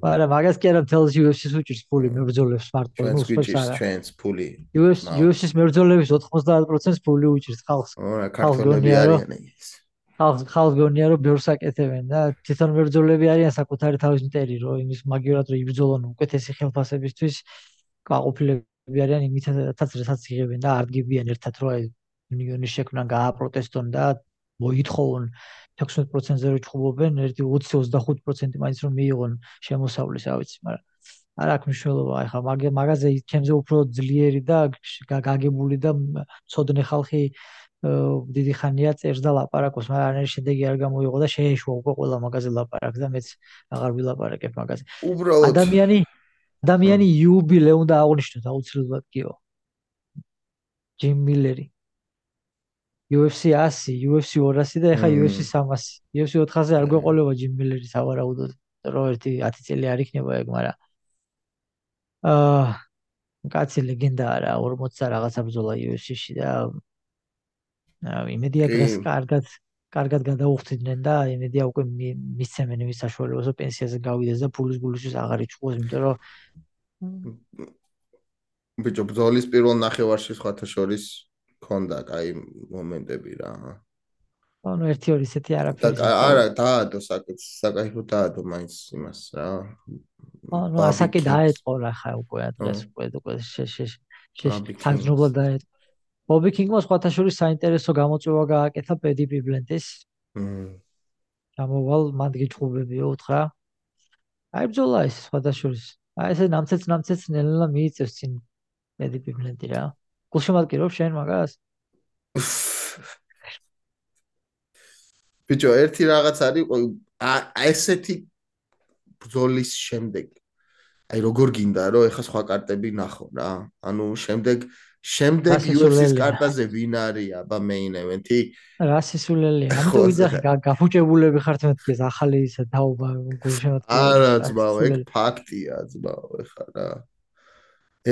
არა, მაგას კი არა თელს იუ ეფ სი-ს უჭირს ფული მებრძოლებს მარტო, ნუ სხვებს არა. ჩვენს ფული. იუ ეფ სი-ს მებრძოლების ოცდაათ პროცენტს ფული უჭირს ხალხს. არა, ქართველები არიან ეს. ხალხს ხალხს გონია რომ ბევრს აკეთებენ და თვითონ მებრძოლები არიან საკუთარი თავის მტერი რომ იმის მაგივრად რომ იბრძოლონ უკეთესი ხელფასებისთვის გაყოფილები არიან იმითაც რასაც იღებენ და არ დგებიან ერთად რომ აი უნიონის შექმნა გააპროტესტონ და მოითხოვონ ექვსმეტ პროცენტზე რო ჩხუბობენ ერთი ოცი ოცდახუთი პროცენტი მაინც რომ მიიღონ შემოსავლის რა ვიცი მაგრამ არ აქვს მნიშვნელობა აი ხა მაგაზე ჩემზე უფრო ძლიერი და გაგებული და ცოდნე ხალხი დიდი ხანია წერს და ლაპარაკობს მაგრამ არის შედეგი არ გამოიღო და შეეშვა უკვე ყველა მაგაზე ლაპარაკს და მეც აღარ ვილაპარაკებ მაგაზე ადამიანი ადამიანი იუბილე უნდა აღნიშნოთ აუცილებლად კიო ჯიმ მილერი იუ ეფ სი ასი იუ ეფ სი ორასი და ეხა იუ ეფ სი სამასი იუ ეფ სი ოთხასი არ გვეყოლება ჯიმ მილერის ავარაუდოდ რომ ერთი ათი წელი არ იქნება ეგ მაგრამ აა კაცი ლეგენდაა რა ორმოცი რაღაცა ბრძოლა იუ ეფ სი-ში და იმედია დღეს კარგად კარგად გადაუხდიდნენ და იმედია უკვე მისცემენ იმის საშუალებას რომ პენსიაზე გავიდეს და ფულის გულისთვის აღარ იჭყოს იმიტომ რომ ბიჭო ბრძოლის პირველ ნახევარში სხვათა შორის ქონდა კაი მომენტები რა ანუ ერთი ორი ისეთი არაფერი არა დაადო საკაიფო დაადო მაინც იმას რა ანუ ასაკი დაეთყო რა ხა უკვე ადრეს უკვე უკვე თანხმობა დაეთყო ბობი კინგმა სხვათა შორის საინტერესო გამოწვევა გააკეთა პედი პიბლენტის ჩამოვალ მანდ გიჩხუბებიო უთხრა აი ბრძოლა ის სხვათა შორის აი ესე ნამცეც ნამცეც ნელა მიიწევს წინ პედი პიბლენტი რა გულშემატკივრობ შენ მაგას ბიჭო ერთი რაღაც არის ესეთი ბრძოლის შემდეგ აი როგორ გინდა რომ ეხა სხვა კარტები ნახო რა ანუ შემდეგ შემდეგ იუ ეფ სი-ის კარტაზე ვინ არის აბა მეინ ევენთი რა სისულელია ამიტომ ვიძახი გაფუჭებულები ხართ მეთქეს ახალი ისა დაობა გულშემატკივრობა არა ძმაო ეგ ფაქტია ძმაო ეხა რა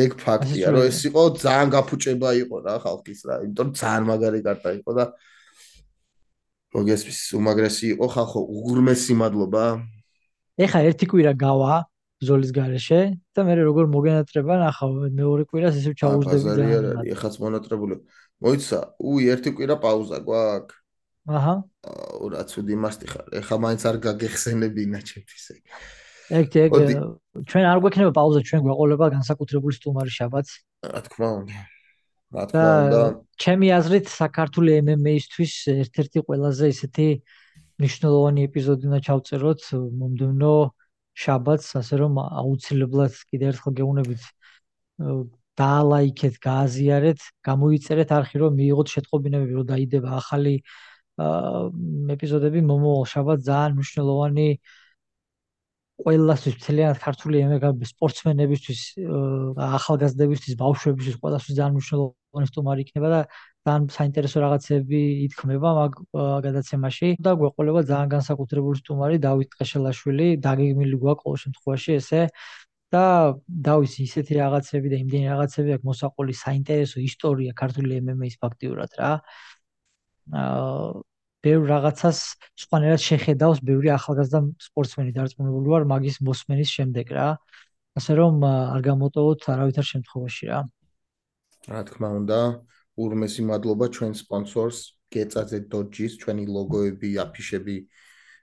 ეგ ფაქტია რომ ეს იყო ძალიან გაფუჭება იყო რა ხალხის რა იმიტომ ძალიან მაგარი კარტა იყო და მოგესმის უმაგრესი იყო ხალხო უღრმესი მადლობა ეხა ერთი კვირა გავა ბრძოლის გარეშე და მე როგორ მოგენატრება ნახავ მეორე კვირას ისევ ჩაუждები და ეხაც მონატრებული მოიცა უი ერთი კვირა პაუზა გვაქვს აჰა რა ცუდი მასტი ხარ ეხა მაინც არ გაგეხსენებინა ჩემთვის ეგ ეგ ჩვენ არ გვექნება პაუზა ჩვენ გვეყოლება განსაკუთრებული სტუმარი შაბათს რა თქმა უნდა რა თქმა უნდა ჩემი აზრით საქართველოს ემ ემ ეისთვის ერთ-ერთი ყველაზე ისეთი მნიშვნელოვანი ეპიზოდი უნდა ჩავწეროთ მომდევნო შაბათს ასე რომ აუცილებლად კიდე ერთხელ გეუბნებით დაალაიქეთ, გააზიარეთ, გამოიწერეთ არხი რომ მიიღოთ შეტყობინებები რომ დაიდება ახალი ეპიზოდები მომავალ შაბათს ძალიან მნიშვნელოვანი ყველასთვის მთლიანად ქართული სპორტსმენებისთვის, ახალგაზრდებისთვის, ბავშვებისთვის, ყველასთვის ძალიან მნიშვნელოვანი სტუმარი იქნება და ძალიან საინტერესო რაღაცები ითქმება მაგ გადაცემაში და გვეყოლება ძალიან განსაკუთრებული სტუმარი დავით ტყეშელაშვილი, დაგეგმილი გვაქვს ყოველ შემთხვევაში ესე და დავის ისეთი რაღაცები და იმდენი რაღაცები აქვს მოსაყოლი საინტერესო ისტორია ქართული em em a-ის ფაქტიურად რა. აა ბევრ რაღაცას სხვანაირად შეხედავს ბევრი ახალგაზრდა სპორტსმენი დარწმუნებული ვარ მაგის მოსმენის შემდეგ რა. ასე რომ არ გამოტოვოთ არავითარ შემთხვევაში რა. რა თქმა უნდა, ურმესი მადლობა ჩვენ სპონსორს გეწაძე დოჯის, ჩვენი ლოგოები, აფიშები,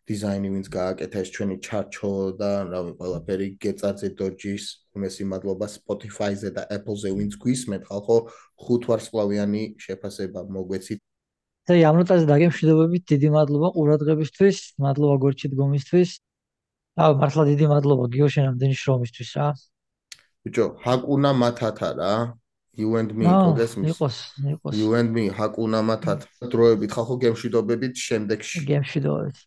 დიზაინი ვინც გააკეთა ეს ჩვენი ჩარჩო და რავი ყველაფერი გეწაძე დოჯის, ურმესი მადლობა Spotify-ზე და Apple-ზე ვინც გვისმენთ, ხალხო ხუთ ვარსკვლავიანი შეფასება მოგვეცით. და ამ ნოტაზე დაგემშვიდობებით, დიდი მადლობა ყურადღებისთვის, მადლობა გორჩი დგომისთვის. აუ, მართლა დიდი მადლობა გიოშენ ამდენი შრომისთვის რა. ბიჭო, ჰაკუნა მათათა რა. You and me, გოგესმის. იყოს, იყოს. You and me, ჰაკუნა მათათა. დროებით ხალხო გემშვიდობებით შემდეგში. გემშვიდობებით.